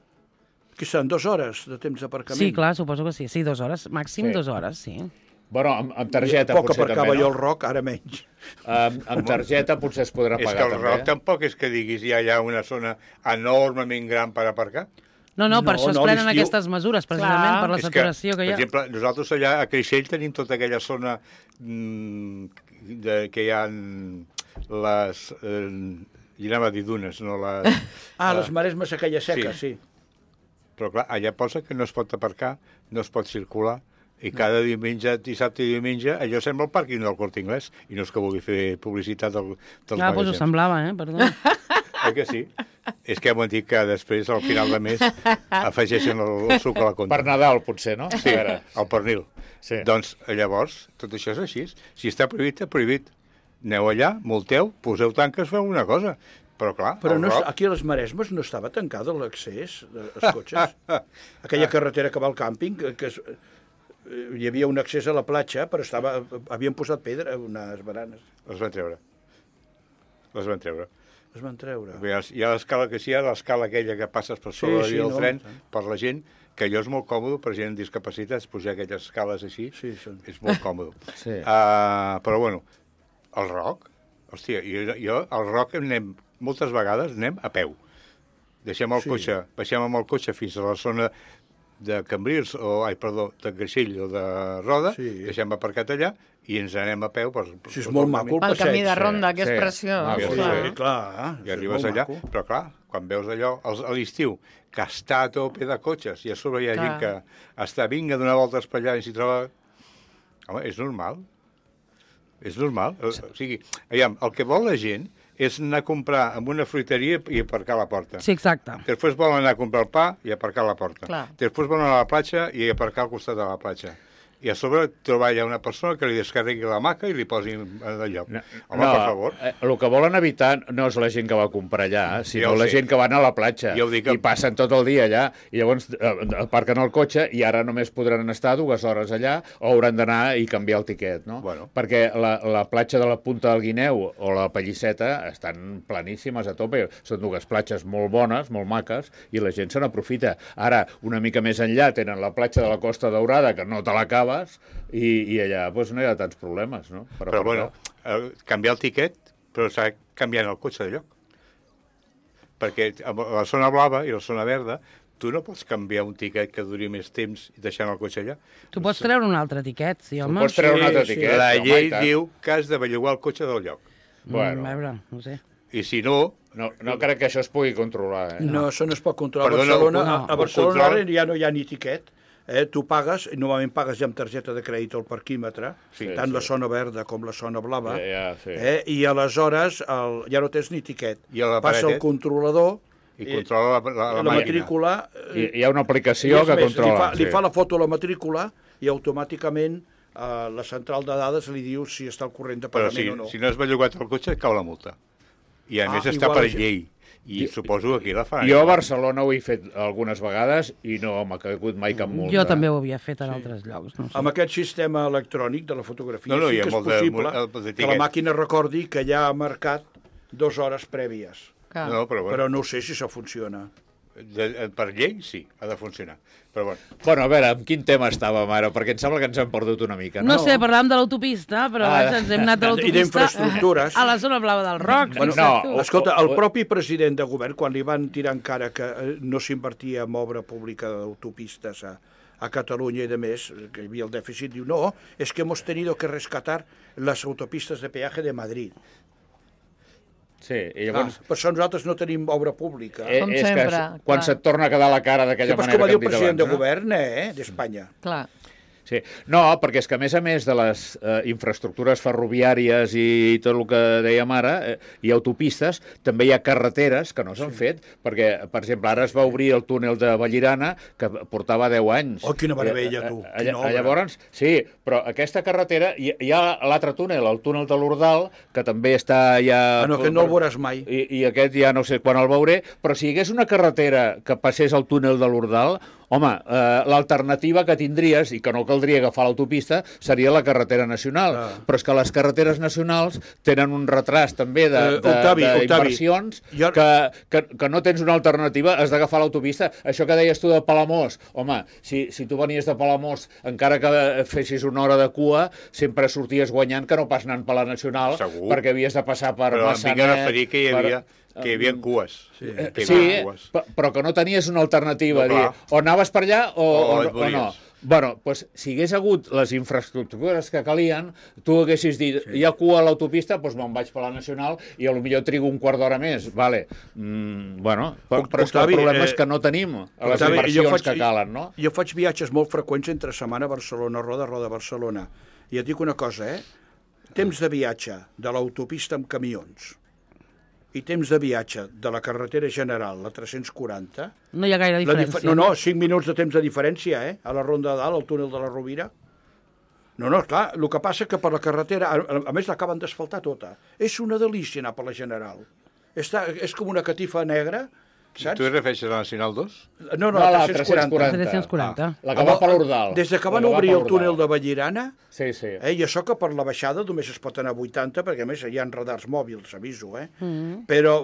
Que són 2 hores de temps d'aparcament. Sí, clar, suposo que sí. Sí, 2 hores. Màxim 2 hores, sí. Bueno, amb targeta potser també, no? Poc aparcava jo el Roc, ara menys. Amb targeta potser es podrà pagar també. És que el Roc tampoc és que diguis hi ha una zona enormement gran per aparcar. No, per això es prenen aquestes mesures, precisament, per la saturació que hi ha. Per exemple, nosaltres allà a Creixell tenim tota aquella zona que hi ha les... I anava a dir dunes, no les... Les maresmes aquella seca, sí. Però clar, allà posa que no es pot aparcar, no es pot circular, i cada diumenge, dissabte i diumenge, allò sembla el pàrquing del Corte Inglés, i no és que vulgui fer publicitat dels magatzems. Doncs ho semblava, perdó. Que sí? És que hem dit que després, al final de mes, afegeixen el suc a la compta. Per Nadal, potser, no? Sí, el pernil. Sí. Doncs, llavors, tot això és així. Si està prohibit, és prohibit. Aneu allà, multeu, poseu tanques, feu una cosa. Però, clar, aquí a les Maresmes no estava tancada l'accés dels cotxes. Aquella carretera que va al càmping, que hi havia un accés a la platja, però havien posat pedra, unes baranes. Les van treure. Es van treure. Hi ha l'escala que hi ha, l'escala aquella que passes per sobre del tren, per la gent, que allò és molt còmode per gent amb discapacitats, pujar aquelles escales així, és molt còmode. Però, bueno, el Roc, hòstia, jo al Roc moltes vegades anem a peu. Baixem amb el cotxe fins a la zona de Cambrils, de Creixell o de Roda, deixem aparcat allà i ens anem a peu és molt maco el camí de Ronda, que és preciós. I arribes allà, però clar, quan veus allò a l'estiu, que està a tope de cotxes i a sobre hi ha gent que està vinga a donar voltes per allà i s'hi troba... Home, és normal. O sigui, el que vol la gent és anar a comprar en una fruiteria i aparcar a la porta. Sí, exacte. Després volen anar a comprar el pa i aparcar a la porta. Després volen anar a la platja i aparcar al costat de la platja. I a sobre trobar allà una persona que li descarregui la maca i li posi de lloc. Home, per favor. El que volen evitar no és la gent que va a comprar allà, sinó la gent que va anar a la platja i passen tot el dia allà i llavors aparquen el cotxe i ara només podran estar 2 hores allà o hauran d'anar i canviar el tiquet, no? Perquè la platja de la Punta del Guineu o la Pallisseta estan planíssimes a tope. Són 2 platges molt bones, molt maques, i la gent se n'aprofita. Ara, una mica més enllà, tenen la platja de la Costa Daurada, que no te l'acabes, i allà no hi ha tants problemes, no? Però bueno, canviar el tiquet, però s'ha canviant el cotxe de lloc. Perquè a la zona blava i la zona verda tu no pots canviar un tiquet que duri més temps i deixant el cotxe allà. Tu pots treure un altre tiquet, sí, home. Tu pots treure un altre tiquet. La llei diu que has de bellugar el cotxe del lloc. Bueno. A veure, no sé. I si no... No crec que això es pugui controlar. No, això no es pot controlar. A Barcelona ja no hi ha ni tiquet. Tu pagues, normalment pagues ja amb targeta de crèdit al parquímetre, tant la zona verda com la zona blava, i aleshores ja no tens ni tiquet. Passa el controlador i controla la matrícula. Hi ha una aplicació que controla. Li fa la foto a la matrícula i automàticament la central de dades li diu si està al corrent de Però pagament o no. si no és bellugat el cotxe, cau la multa. I a més està igual per això. llei. I suposo que aquí la faran. Jo a Barcelona ho he fet algunes vegades i no m'ha caigut mai cap multa. Jo també ho havia fet en altres llocs. No sé. Amb aquest sistema electrònic de la fotografia No, sí hi ha que és molt de- possible de que etiquets. la màquina recordi que ja ha marcat 2 hores prèvies. Clar. No, però bueno, Però no sé si això funciona. per llei sí, ha de funcionar. Però bueno, Bueno, a veure, amb quin tema estàvem ara? Perquè em sembla que ens hem perdut una mica, No no? sé, parlàvem de l'autopista, però vaja, ens hem anat de I l'autopista d'infraestructures. a la zona blava del Roc. Bueno, fixa't tu. escolta, el propi president de govern, quan li van tirar en cara que no s'invertia en obra pública d'autopistes a Catalunya i de més, que hi havia el dèficit, diu, no, és que hemos tenido que rescatar las autopistas de peaje de Madrid. Sí, i llavors... Per això nosaltres no tenim obra pública. Com és sempre, que quan clar. se't torna a quedar la cara Sí, d'aquella però és manera com va que dir hem el dit president de abans, no? govern d'Espanya. Clar. Sí. No, perquè és que a més de les infraestructures ferroviàries i tot el que dèiem ara, i autopistes, també hi ha carreteres que no s'han fet, perquè, per exemple, ara es va obrir el túnel de Vallirana, que portava 10 anys. Oh, quina meravella, tu, quina obra. Llavors, sí, però aquesta carretera, hi ha l'altre túnel, el túnel de l'Ordal, que també està ja... Ah, no, que no el veuràs mai. I aquest ja no sé quan el veuré, però si hi hagués una carretera que passés al túnel de l'Ordal, home, l'alternativa que tindries, i que no caldria agafar l'autopista, seria la carretera nacional. Però és que les carreteres nacionals tenen un retras també d'inversions que no tens una alternativa, has d'agafar l'autopista. Això que deies tu de Palamós, home, si tu venies de Palamós, encara que fessis una hora de cua, sempre sorties guanyant que no pas anant per la nacional, Segur. perquè havies de passar per però em Massanet... vinc a referir que hi havia cues. Sí. Que hi Sí, havia cues. però que no tenies una alternativa, No, clar. dir, o anaves per allà O o et no. volies. Bueno, doncs, si hagués hagut les infraestructures que calien, tu haguessis dit, hi ha cua a l'autopista, doncs me'n vaig per la nacional i potser trigo un quart d'hora més. Vale. Bueno, però és que el Octavi, problema és que no tenim les Octavi, inversions que calen, no? Jo faig viatges molt freqüents entre setmana a Barcelona, Roda, Barcelona. I et dic una cosa, temps de viatge de l'autopista amb camions i temps de viatge de la carretera general, la 340... No hi ha gaire diferència. No, 5 minuts de temps de diferència, a la Ronda de Dalt, al túnel de la Rovira. No, clar, el que passa que per la carretera, a més l'acaben d'asfaltar tota, és una delícia anar per la general. És com una catifa negra, saps? Tu et refereixes a la Nacional 2? No, la 340. 340. La que va per l'Ordal. Des que van obrir el túnel de Vallirana, Sí, sí. i això que per la baixada només es pot anar a 80, perquè a més hi ha radars mòbils, aviso, Però,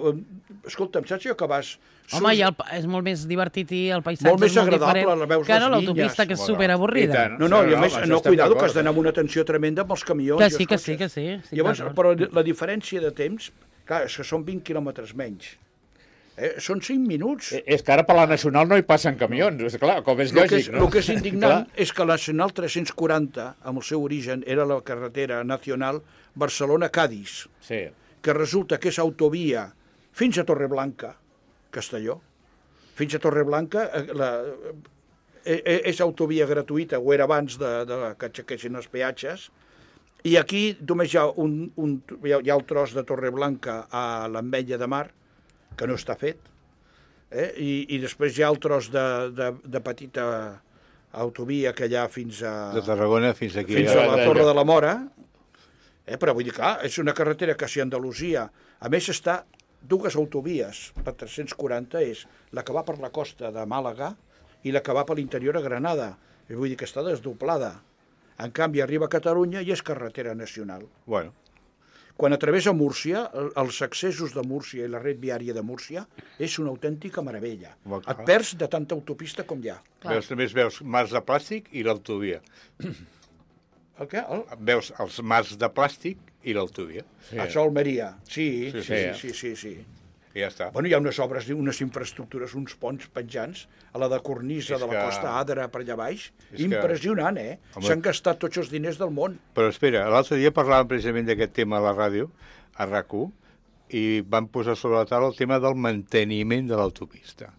escolta'm, saps jo que vas... Home, és molt més divertit i el paisatge Molt més és molt agradable, diferent veus que no les l'autopista, vinyes. que és superavorrida. I tant. No, i a més, això no, estem cuidado, que d'acord, has d'anar amb una tensió tremenda amb els camions. Que i els sí, que sí, cotxes. que sí. estic Llavors, d'acord. però la diferència de temps, clar, és que són 20 quilòmetres menys. Són 5 minuts. És que ara per la Nacional no hi passen camions, és clar, com és lògic, no? El que és indignant és que la Nacional 340, amb el seu origen, era la carretera nacional Barcelona-Cadis, Sí. que resulta que és autovia fins a Torreblanca, Castelló. Fins a Torreblanca és autovia gratuïta, o era abans que aixequessin els peatges, i aquí només hi ha hi ha el tros de Torreblanca a l'Ametlla de Mar, que no està fet, i després hi ha el tros de petita autovia que hi ha fins a... De Tarragona fins aquí. Fins a la Torre de la Mora, però vull dir, clar, és una carretera que si Andalusia, a més està dues autovies, la 340 és la que va per la costa de Màlaga i la que va per l'interior a Granada, i vull dir que està desdoblada. En canvi, arriba a Catalunya i és carretera nacional. Bueno, Quan travessa Múrcia, els accessos de Múrcia i la red viària de Múrcia és una autèntica meravella. Molt clar. Et perds de tanta autopista com hi ha. veus mars de plàstic i l'autovia. El què? Veus els mars de plàstic i l'autovia. Sí. Això a Almeria. Sí. I ja està. Bueno, hi ha unes obres, unes infraestructures, uns ponts penjants, a la de cornisa És de la que- Costa Adra per allà baix. És que- Impressionant, Home. S'han gastat tots els diners del món. Però espera, l'altre dia parlàvem precisament d'aquest tema a la ràdio, a RAC1, i van posar sobre la taula el tema del manteniment de l'autopista,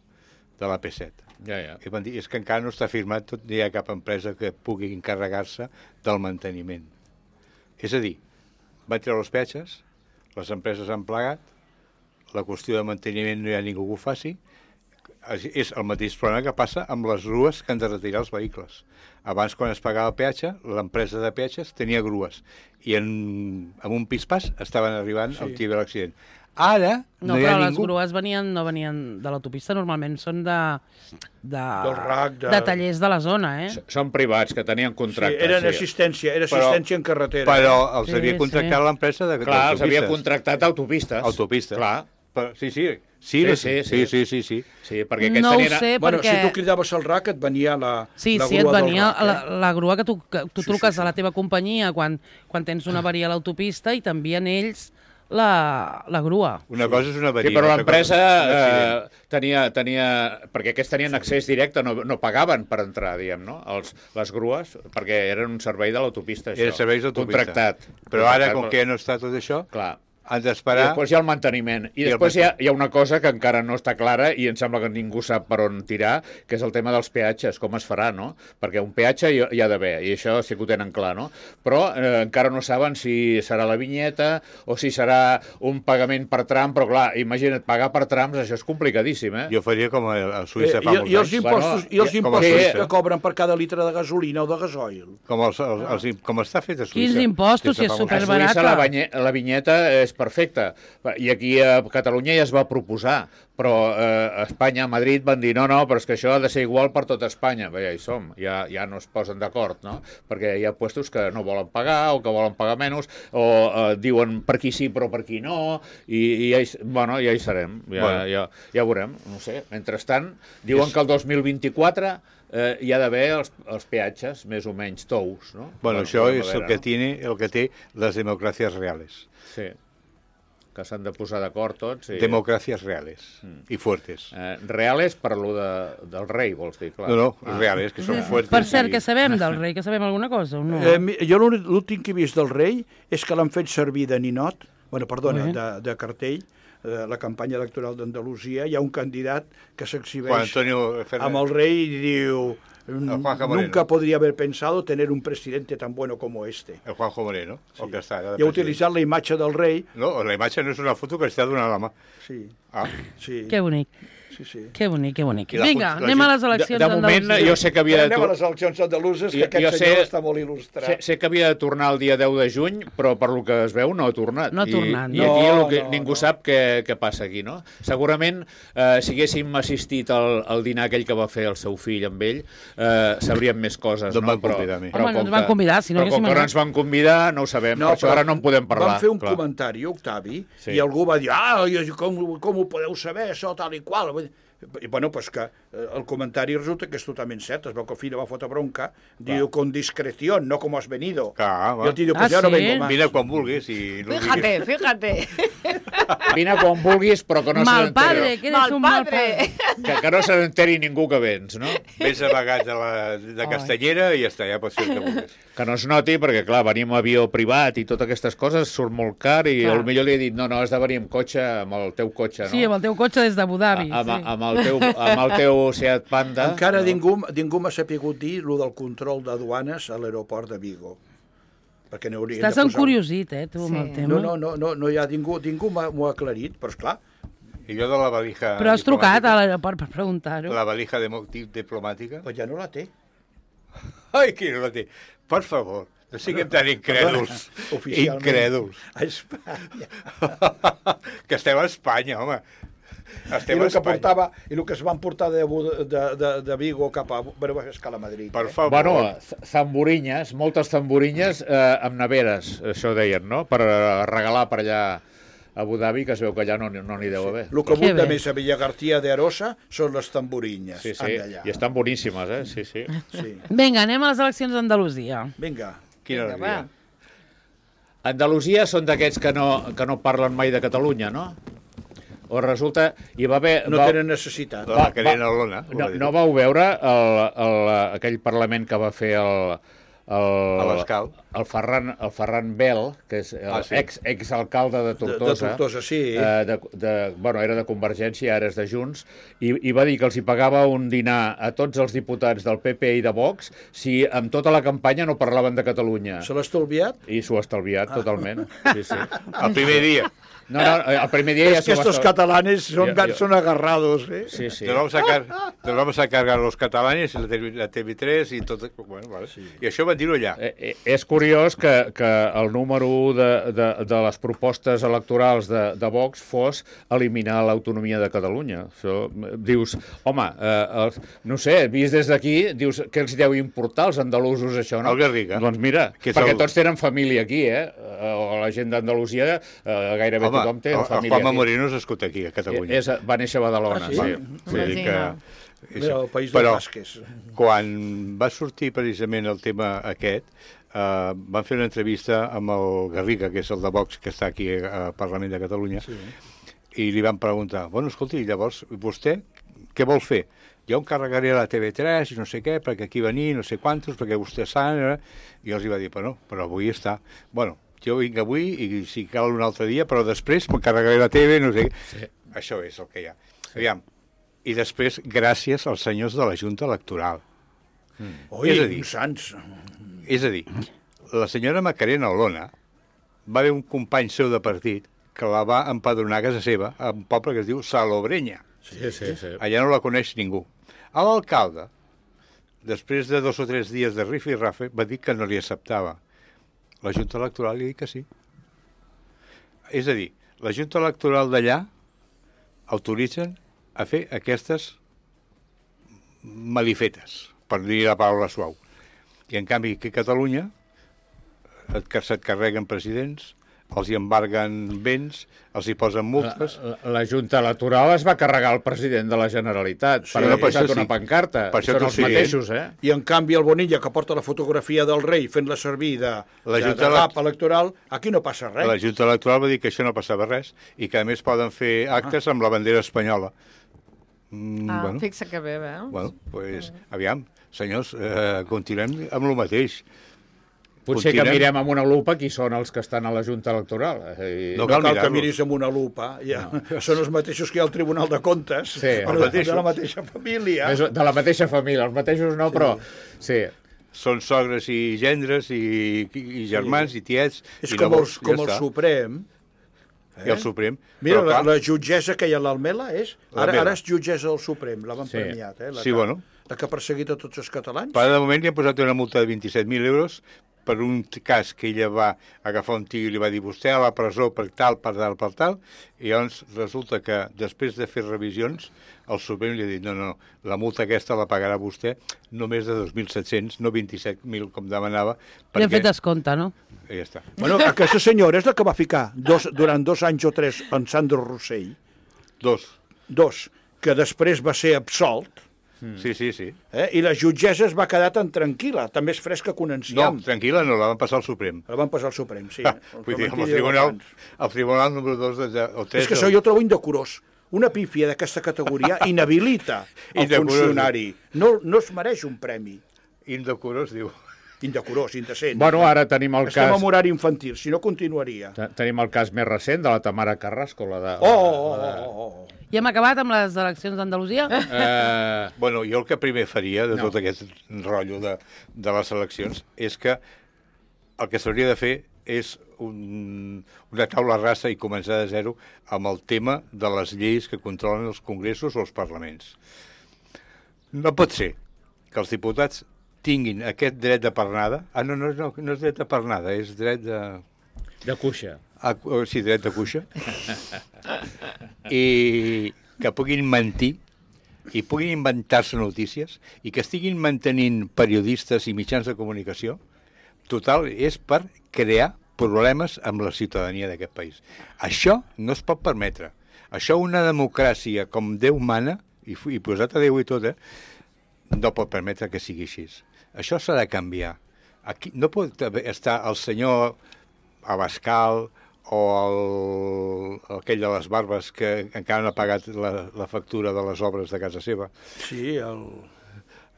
de la P7. Ja. I van dir, és que encara no està firmat, no hi ha cap empresa que pugui encarregar-se del manteniment. És a dir, van treure els peatges, les empreses han plegat, la qüestió de manteniment no hi ha ningú que ho faci, és el mateix problema que passa amb les grues que han de retirar els vehicles. Abans, quan es pagava peatge, l'empresa de peatges tenia grues i amb un pispàs estaven arribant al tio de l'accident. Ara No, no hi ha però les ningú... grues no venien de l'autopista, normalment són Del RAC, de tallers de la zona, Són privats, que tenien Sí, contractes. era assistència en carretera. Però els Sí, havia contractat sí. l'empresa de Clar, els havia d'autopistes. contractat autopistes. Autopistes. Clar. Sí. Sí, perquè aquests No ho tenien... sé, Bueno, perquè... si tu cridaves al RAC et venia la Sí, la sí, et grua del venia RAC, la grua que tu truques sí. a la teva companyia quan tens una avaria a l'autopista i t'envien ells la grua. Una cosa és una avaria. Sí, però una altra l'empresa cosa és un accident. tenia... Perquè aquests tenien accés directe, no pagaven per entrar, diguem, no? Les grues, perquè eren un servei de l'autopista, això. Era serveis d'autopista. Contractat. Però ara, com que no està tot això, Clar. han I d'esperar... després hi ha el manteniment. I després hi ha una cosa que encara no està clara i em sembla que ningú sap per on tirar, que és el tema dels peatges, com es farà, no? Perquè un peatge hi ha d'haver, i això sí que ho tenen clar, no? Però encara no saben si serà la vinyeta o si serà un pagament per tram, però clar, imagina't, pagar per trams, això és complicadíssim, Jo faria com a Suïssa fa molts I els anys. impostos, Bueno, i els com a impostos Suïssa. que cobren per cada litre de gasolina o de gasoil. Com està fet a Suïssa. Quins impostos, si és A superbarat. Suïssa la vinyeta és perfecta. I aquí a Catalunya ja es va proposar, però a Espanya, a Madrid, van dir no, però és que això ha de ser igual per tota Espanya. Bé, ja hi som, ja no es posen d'acord, no? Perquè hi ha puestos que no volen pagar o que volen pagar menys, o diuen per aquí sí però per aquí no, i ja hi serem, ja veurem, no sé. Mentrestant, diuen que el 2024 hi ha d'haver els peatges més o menys tous, no? Bueno, això és el que té les democràcies reales. Sí, que s'han de posar d'acord tots. Democràcies reales i fuertes. Reales per lo del rei, vols dir, clar. No, reales, que són fuertes. Per cert, què sabem del rei? Que sabem alguna cosa o no? Jo l'últim que he vist del rei és que l'han fet servir de ninot, de cartell, la campanya electoral d'Andalusia. Hi ha un candidat que s'exhibeix amb el rei i diu... Nunca podría haber pensado tener un presidente tan bueno como este. El Juanjo Moreno. Sí. El que està, I ha utilitzat la imatge del rei. No, la imatge no és una foto que està donant la mà. Sí. Sí. Que bonic. Sí. Que bonic. Vinga, anem a les eleccions d'Andalusia. De moment, jo sé que havia de... Anem a les eleccions andaluses, que aquest senyor està molt il·lustrat. Sé que havia de tornar el dia 10 de juny, però per lo que es veu no ha tornat. No ha tornat. I aquí ningú sap què passa aquí, no? Segurament, si haguéssim assistit al dinar aquell que va fer el seu fill amb ell, sabríem més coses, no? No em van convidar a mi. Home, no ens van convidar, si no però com que no ens van convidar, no ho sabem, per això ara no en podem parlar. Van fer un comentari, Octavi, i algú va dir, com ho podeu saber, això, tal i qual. I bueno, pues que el comentari resulta que és totalment cert. Es veu que el fill va fotre bronca, diu, con discreción, no como has venido. Clar, I el tio diu, pues ja no vengo más. Vine quan vulguis i no Fíjate. Vine quan vulguis, però que no se Mal padre, n'enteri. que eres un mal padre. Que no se n'enteri ningú que vens, no? Vés amagat de Castellera i ja està, ja pots fer el que vulguis. Que no es noti, perquè, clar, venir amb avió privat i totes aquestes coses surt molt car i potser li he dit, no, has de venir amb cotxe, amb el teu cotxe, no? Sí, amb el teu cotxe des d'Abu Dhabi. Amb el teu Seat Panda. Encara ningú m'ha sapigut dir el del control de duanes a l'aeroport de Vigo. Perquè n'haurien de posar... Estàs encuriosit, tu, amb el tema. No hi ha ningú m'ho ha aclarit, però esclar. I jo de la valija... Però has trucat a l'aeroport per preguntar-ho. La valija diplomàtica? Però ja no la té. Ai, qui no la té? Per favor, no siguem tan incrèduls. Incrèduls. A Espanya. Que estem a Espanya, home. I el que es van portar de Vigo cap a... Bueno, és que a Madrid. Per favor. Bueno, zamburinyes, moltes zamburinyes amb neveres, això deien, no? Per regalar per allà a Abu Dhabi, que es veu que allà no n'hi deu haver. El que abunda més a Villagarcía de Arosa són les tamburinyes. Sí, i estan boníssimes, sí. Vinga, anem a les eleccions d'Andalusia. Vinga. Quina alegria. Andalusia són d'aquests que no parlen mai de Catalunya, no? O resulta... No tenen necessitat. La Macarena Olona. No vau veure aquell Parlament que va fer a l'Escau. el Ferran Bel, que és exalcalde de Tortosa. De Tortosa, sí. Bueno, era de Convergència, ara és de Junts, i va dir que els hi pagava un dinar a tots els diputats del PP i de Vox si amb tota la campanya no parlaven de Catalunya. Se l'ha estalviat? I s'ho ha estalviat, totalment. Sí, sí. El primer dia. No, el primer dia ja es que estos catalanes son agarrados, ¿eh? Sí, sí. Nos vamos a cargar los catalanes, la TV3 i tot... Bueno, vale. Sí. I això van dir-ho allà. És curiós que el número 1 de les propostes electorals de Vox fos eliminar l'autonomia de Catalunya. Això, dius, home, no sé, vist des d'aquí, dius, què els deu importar als andalusos això, no? El Garriga. Doncs mira, perquè tots tenen família aquí, o la gent d'Andalusia gairebé tothom té família aquí. El Juanma Moreno és escut aquí, a Catalunya. Va néixer a Badalona, sí. Vull dir que... Mira, el país dels basques. Quan va sortir precisament el tema aquest, van fer una entrevista amb el Garriga, que és el de Vox, que està aquí al Parlament de Catalunya, i li van preguntar, bueno, escolti, llavors, vostè què vol fer? Jo em carregaré a la TV3 i no sé què, perquè aquí venir, no sé quantos, perquè vostè sap... I els hi va dir, però avui està... Bueno, jo vinc avui i si cal un altre dia, però després m'encarregaré la TV, no sé què. Sí. Això és el que hi ha. Aviam. I després, gràcies als senyors de la Junta Electoral. Oi, sants. És a dir, la senyora Macarena Olona va haver un company seu de partit que la va empadronar a casa seva, a un poble que es diu Salobrenya. Sí. Allà no la coneix ningú. A l'alcalde, després de 2 o 3 dies de rifa i rafe, va dir que no li acceptava. La Junta Electoral li ha dit que sí. És a dir, la Junta Electoral d'allà autoritzen a fer aquestes malifetes, per dir la paraula suau. I en canvi aquí a Catalunya se't carreguen presidents, els hi embarguen béns, els hi posen multes... La Junta Electoral es va carregar el president de la Generalitat per haver posat una pancarta. Són els mateixos, I en canvi el Bonilla, que porta la fotografia del rei fent-la servir de cap electoral, aquí no passa res. La Junta Electoral va dir que això no passava res i que a més poden fer actes amb la bandera espanyola. Bueno. Fixa que bé, veus? Bueno, pues, aviam, senyors, continuem amb el mateix. Potser que mirem amb una lupa qui són els que estan a la Junta Electoral. No cal que miris amb una lupa. Són els mateixos que hi ha al Tribunal de Comptes, de la mateixa família. De la mateixa família, els mateixos no, però... Sí. Són sogres i gendres i germans i tiets. És com el Suprem. I el Suprem. Mira, la jutgessa que hi ha a l'Almela és... Ara és jutgessa del Suprem, la van premiat. Sí, bueno. La que ha perseguit a tots els catalans. Per de moment li han posat una multa de 27.000 euros per un cas que ella va agafar un tio i li va dir vostè a la presó per tal, i llavors resulta que després de fer revisions el Suprem li ha dit no, la multa aquesta la pagarà vostè només de 2.700, no 27.000 com demanava. Li han fet descompte, no? I ja està. Bueno, aquesta senyora és la que va ficar durant 2 anys o 3 en Sandro Rossell. 2, que després va ser absolt. Sí. I la jutgessa es va quedar tan tranquil·la, també és fresca que un enciam. No, tranquil·la no, la van passar al Suprem. La van passar al Suprem, sí. Vull dir, el tribunal número 2 o 3... És que això jo trobo indecorós. Una pífia d'aquesta categoria inhabilita el funcionari. No es mereix un premi. Indecorós, diu. Indecorós, indecent. Bueno, ara tenim el cas... Estem en horari infantil, si no continuaria. Tenim el cas més recent de la Tamara Carrasco, la de... I hem acabat amb les eleccions d'Andalusia? Bueno, jo el que primer faria de tot aquest rotllo de les eleccions és que el que s'hauria de fer és una taula rasa i començar de zero amb el tema de les lleis que controlen els congressos o els parlaments. No pot ser que els diputats tinguin aquest dret de pernada. No és dret de pernada, és dret de... De cuixa. Sí, dret de cuixa. I que puguin mentir i puguin inventar-se notícies i que estiguin mantenint periodistes i mitjans de comunicació, total, és per crear problemes amb la ciutadania d'aquest país. Això no es pot permetre. Això una democràcia com Déu mana, i posat a Déu i tot, no pot permetre que sigui així. Això s'ha de canviar. Aquí no pot estar el senyor Abascal o aquell de les barbes que encara no ha pagat la factura de les obres de casa seva. Sí,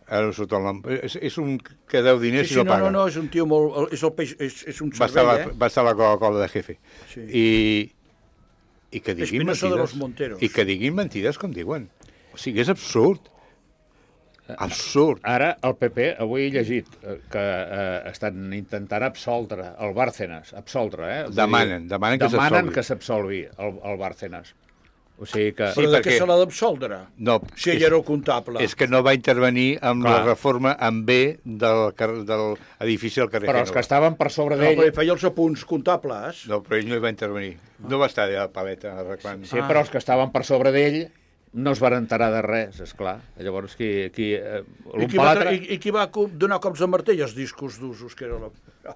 Ara no surt el nom. És un que deu diners Sí, i no paga. no, és un tio molt... És, el peix, és un Va estar, cervell, va estar a la Coca-Cola de jefe. Sí. I que diguin Espinosa de los mentides. Monteros. I que diguin mentides com diuen. O sigui, és absurd. Absurd. Ara, el PP, avui he llegit que estan intentant absoldre el Bárcenas. Absoldre, Demanen que s'absolgui. Demanen que s'absolgui el Bárcenas. O sigui que... Però de què perquè- se l'ha d'absoldre? No, Si ell era el comptable. És que no va intervenir amb Clar. la reforma en B de l'edifici del carrer Però els que Gènova. estaven per sobre No, d'ell... però ell feia els apunts comptables. No, però ell no hi va intervenir. No va estar allà a la paleta arreglant. Sí, però els que estaven per sobre d'ell no es van enterar de res, esclar. Llavors, I l'un qui, per va, l'altre... i qui va donar cops de martell als discos d'usos, que era la...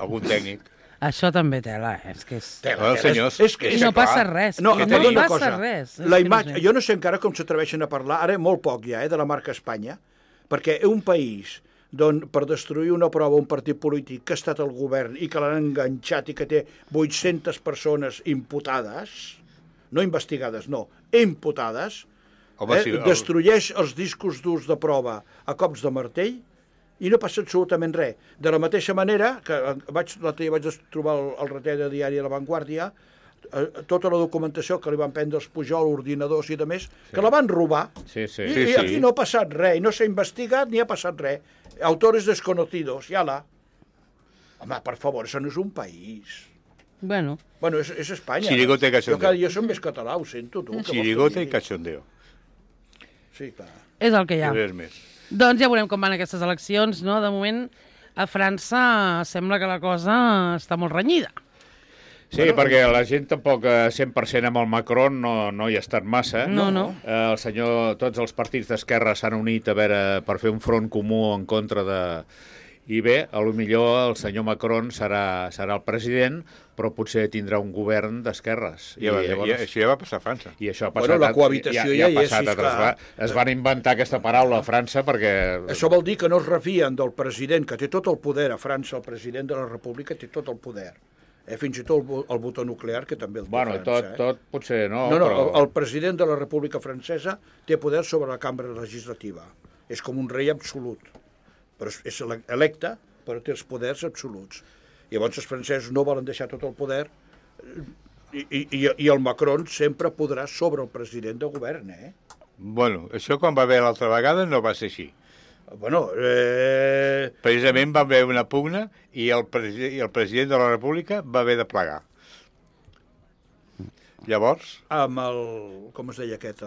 Algun tècnic. Això també tela, és que és... Bueno, senyors, és que- I no clar. passa res. No, no et dic una passa cosa. res. És La que no imatge, sé. jo no sé encara com s'atreveixen a parlar, ara molt poc ja, de la marca Espanya, perquè un país d'on per destruir una prova un partit polític que ha estat al govern i que l'han enganxat i que té 800 persones imputades, no investigades, no, imputades, Home, sí, destrueix els discos durs de prova a cops de martell i no passa absolutament res. De la mateixa manera que l'altre dia vaig trobar el reté de diari a La Vanguardia, tota la documentació que li van prendre els Pujol, ordinadors i de més, que la van robar. Sí, sí. I aquí no ha passat res, i no s'ha investigat ni ha passat res. Autores desconocidos, i ala. Home, per favor, això no és un país. Bueno, Bueno, és Espanya. Chirigote i cachondeo. Jo cada dia som més català, ho sento, tu. Chirigote i cachondeo. Sí, clar. és el que hi ha. Res més. Doncs ja veurem com van aquestes eleccions, no? De moment, a França sembla que la cosa està molt renyida. Sí, perquè la gent tampoc 100% amb el Macron no hi ha estat massa. No. El senyor, tots els partits d'esquerra s'han unit a veure per fer un front comú en contra de... I bé, a lo millor el senyor Macron serà el president, però potser tindrà un govern d'esquerres. I això ja va passar a França. I això ha Bueno, passat, la cohabitació ja hi és, sí, clar. Es van inventar aquesta paraula a França perquè... Això vol dir que no es refien del president, que té tot el poder a França, el president de la República té tot el poder. Fins i tot el botó nuclear, que també el té Bueno, França. tot potser no, No, però... el president de la República Francesa té poder sobre la cambra legislativa. És com un rei absolut. Però és electe, però té els poders absoluts. Llavors els francesos no volen deixar tot el poder i el Macron sempre podrà sobre el president de govern, Bueno, això quan va haver l'altra vegada no va ser així. Bueno, Precisament va haver una pugna i el president de la República va haver de plegar. Llavors, amb el... com es deia aquest?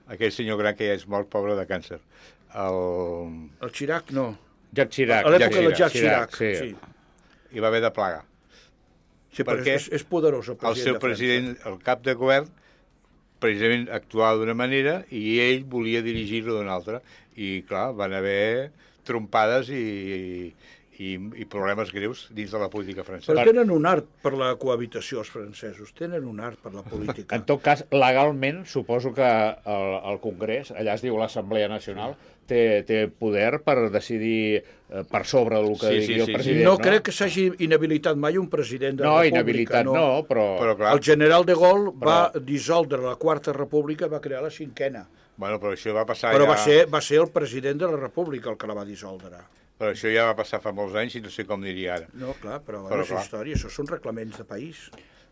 aquell senyor gran que ja és mort, pobre de càncer, El Chirac, no. Jacques Chirac. A l'època de Jacques Chirac, sí. sí. i va haver de plegar. Sí, però Perquè és poderós el El president seu de França. president, el cap de govern, precisament actuava d'una manera i ell volia dirigir-lo d'una altra. I, clar, van haver trompades i problemes greus dins de la política francesa. Però tenen un art per la cohabitació, els francesos. Tenen un art per la política. En tot cas, legalment, suposo que el Congrés, allà es diu l'Assemblea Nacional, té poder per decidir per sobre del que digui el president. No crec que s'hagi inhabilitat mai un president de la República. Inhabilitat no, Però clar, El general de Gaulle va dissoldre la Quarta República i va crear la Cinquena. bueno, però això va passar Però ja... va ser el president de la República el que la va dissoldre. Però això ja va passar fa molts anys i no sé com diria ara. No, clar, però Però és clar. història, això són reglaments de país.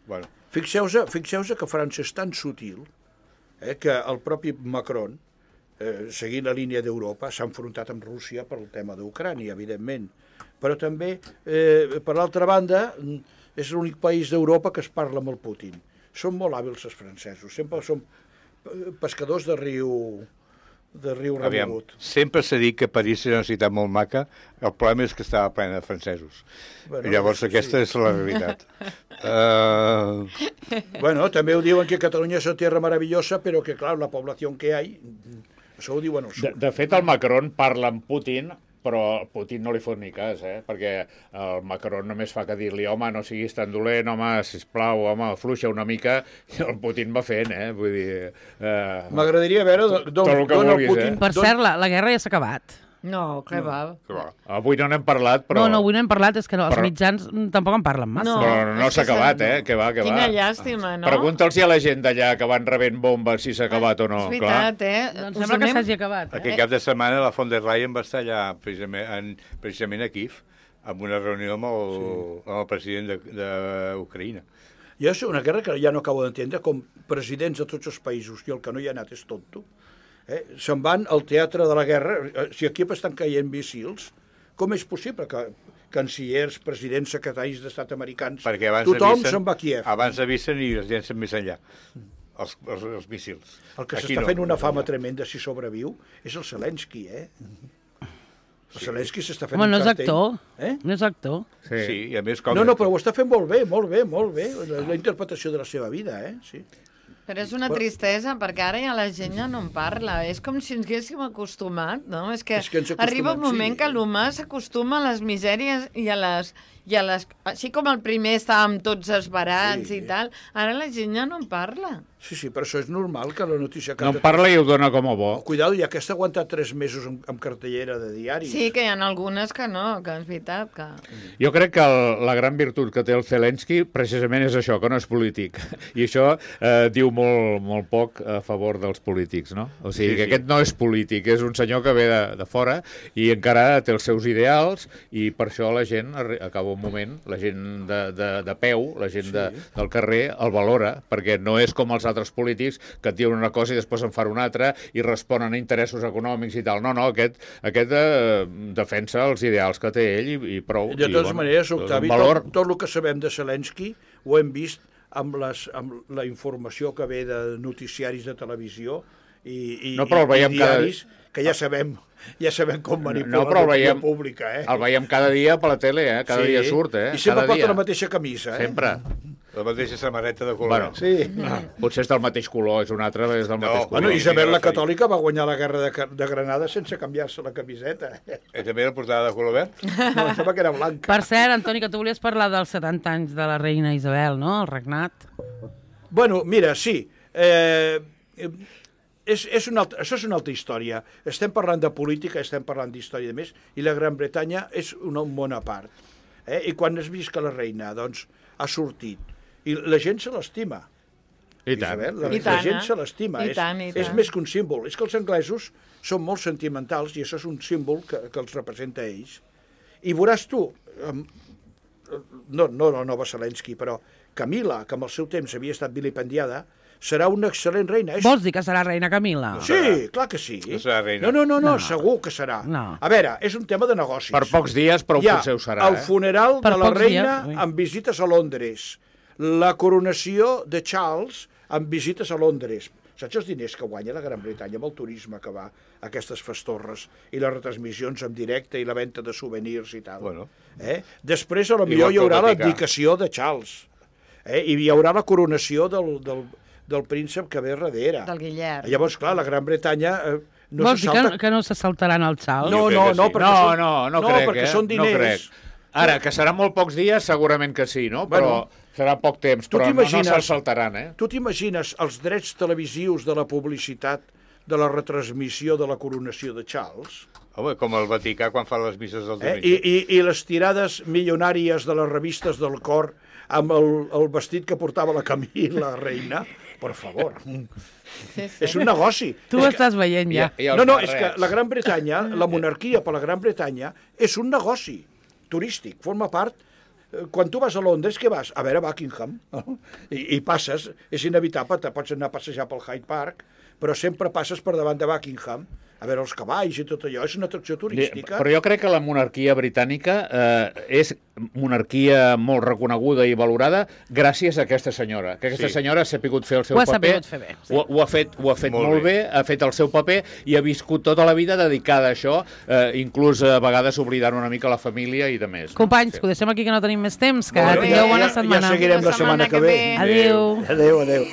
Bueno, Fixeu-vos que França és tan sutil que el propi Macron, seguint la línia d'Europa, s'ha enfrontat amb Rússia per el tema d'Ucrània, evidentment. Però també, per l'altra banda, és l'únic país d'Europa que es parla amb el Putin. Són molt hàbils els francesos, sempre són pescadors de riu aviam, remogut. sempre s'ha dit que París és una ciutat molt maca, el problema és que estava plena de francesos. Bueno, Llavors aquesta és la realitat. Bueno, també ho diuen que Catalunya és una tierra maravillosa, però que, clar, la població que hi ha, això ho diuen al sud. De fet, el Macron parla amb Putin, però Putin no li fot ni cas, perquè el Macron només fa que dir-li home, no siguis tan dolent, home, sisplau, home, fluixa una mica, i el Putin va fent, vull dir... M'agradaria veure tot el que d'on el vulguis, Putin... Per cert, la guerra ja s'ha acabat. No, que va. Que va. Avui no n'hem parlat, però... No, avui no hem parlat, és que els Però- mitjans tampoc en parlen massa. No. Però no és s'ha que acabat, s'ha- que va. Quina llàstima, no? Pregunta'ls a la gent d'allà que van rebent bombes si s'ha acabat o no. És veritat, Doncs Us sembla que donem- s'hagi acabat. Aquest cap de setmana la von der Leyen va estar allà precisament a Kiev, amb una reunió amb el president d'Ucraïna. Jo és una guerra que ja no acabo d'entendre, com presidents de tots els països, i el que no hi ha anat és tonto, se'n van al teatre de la guerra. Si aquí estan caient míssils, com és possible que cancellers, presidents, secretaris d'estat americans, Perquè abans tothom avisen, se'n va a Kiev? Abans avisen i els llencen més enllà, els míssils. El que Aquí s'està no, fent una més fama enllà. tremenda si sobreviu és el Zelensky, El Zelensky s'està fent Home, no un és cartell. actor. No és actor. Sí, i a més... Com No, però ho està fent molt bé, molt bé, molt bé. La interpretació de la seva vida, sí. Però és una tristesa, perquè ara ja la gent ja no en parla. És com si ens haguéssim acostumat, no? És que És que ens arriba un acostumem, moment sí. que l'humà s'acostuma a les misèries i a les... Així com el primer estàvem tots esbarats Sí. i tal, ara la gent ja no en parla. Sí, però això és normal que la notícia... No en parla i ho dona com a bo. Cuidado, ja que està aguantat 3 mesos amb cartellera de diari. Sí, que hi ha algunes que no, que és veritat que... Jo crec que la gran virtut que té el Zelensky precisament és això, que no és polític. I això diu molt poc a favor dels polítics, no? O sigui, que aquest no és polític, és un senyor que ve de fora i encara té els seus ideals i per això la gent, acaba un moment, la gent de peu, la gent del carrer, el valora, perquè no és com els altres polítics que et diuen una cosa i després en fan una altra i responen a interessos econòmics i tal. No, aquest defensa els ideals que té ell i prou. De totes maneres, Octavi, tot el que sabem de Zelensky ho hem vist amb la informació que ve de noticiaris de televisió i diaris, que ja sabem com manipular l'opinió pública. El veiem cada dia per la tele, cada dia surt. I sempre porta la mateixa camisa. Sempre. La mateixa samarreta de color. Potser és del mateix color, és una altra, és del mateix color. Bueno, Isabel la Catòlica va guanyar la guerra de Granada sense canviar-se la camiseta. També la portada de color verd? No, em sembla que era blanca. Per cert, Antoni, que tu volies parlar dels 70 anys de la reina Isabel, no?, el regnat. Bueno, mira, sí. Això és una altra història. Estem parlant de política, estem parlant d'història de més, i la Gran Bretanya és un món a part. I quan has vist que la reina ha sortit, i la gent se l'estima. I tant. La gent se l'estima. És més que un símbol. És que els anglesos són molt sentimentals i això és un símbol que els representa a ells. I veuràs tu, no la nova Zelensky, però Camila, que amb el seu temps havia estat vilipendiada, serà una excel·lent reina. Vols dir que serà reina Camila? Sí, clar que sí. No serà reina. No, segur que serà. A veure, és un tema de negocis. Per pocs dies, però potser ho serà. El funeral de la reina amb visites a Londres. La coronació de Charles amb visites a Londres. Saps els diners que guanya la Gran Bretanya amb el turisme que va a aquestes festorres i les retransmissions en directe i la venda de souvenirs i tal? Bueno. Després, a lo millor, hi haurà l'abdicació de Charles. I hi haurà la coronació del príncep que ve darrere. Del Guillem. Llavors, clar, la Gran Bretanya... Vols dir que no se saltaran el xal? No crec, perquè són diners. Ara, que seran molt pocs dies, segurament que sí, no? Però serà poc temps, però no se'ls saltaran, Tu t'imagines els drets televisius de la publicitat de la retransmissió de la coronació de Charles? Home, com el Vaticà quan fa les misses del diumenge. I les tirades milionàries de les revistes del cor amb el vestit que portava la Camila, la reina, per favor. És un negoci. Tu ho estàs veient ja. No, és que la Gran Bretanya, la monarquia per la Gran Bretanya, és un negoci turístic, forma part. Quan tu vas a Londres, què vas? A veure Buckingham. I passes, és inevitable, te pots anar a passejar pel Hyde Park, però sempre passes per davant de Buckingham, a veure els cavalls i tot allò, és una atracció turística. Però jo crec que la monarquia britànica és monarquia molt reconeguda i valorada gràcies a aquesta senyora, que aquesta senyora s'ha sabut fer el seu paper. Ho ha sabut fer bé. Ho ha fet molt bé, ha fet el seu paper i ha viscut tota la vida dedicada a això, inclús a vegades oblidant una mica la família i de més. Companys, que ho deixem aquí que no tenim més temps, que tingueu bona setmana. Ja seguirem la setmana que ve. Adéu. Adéu.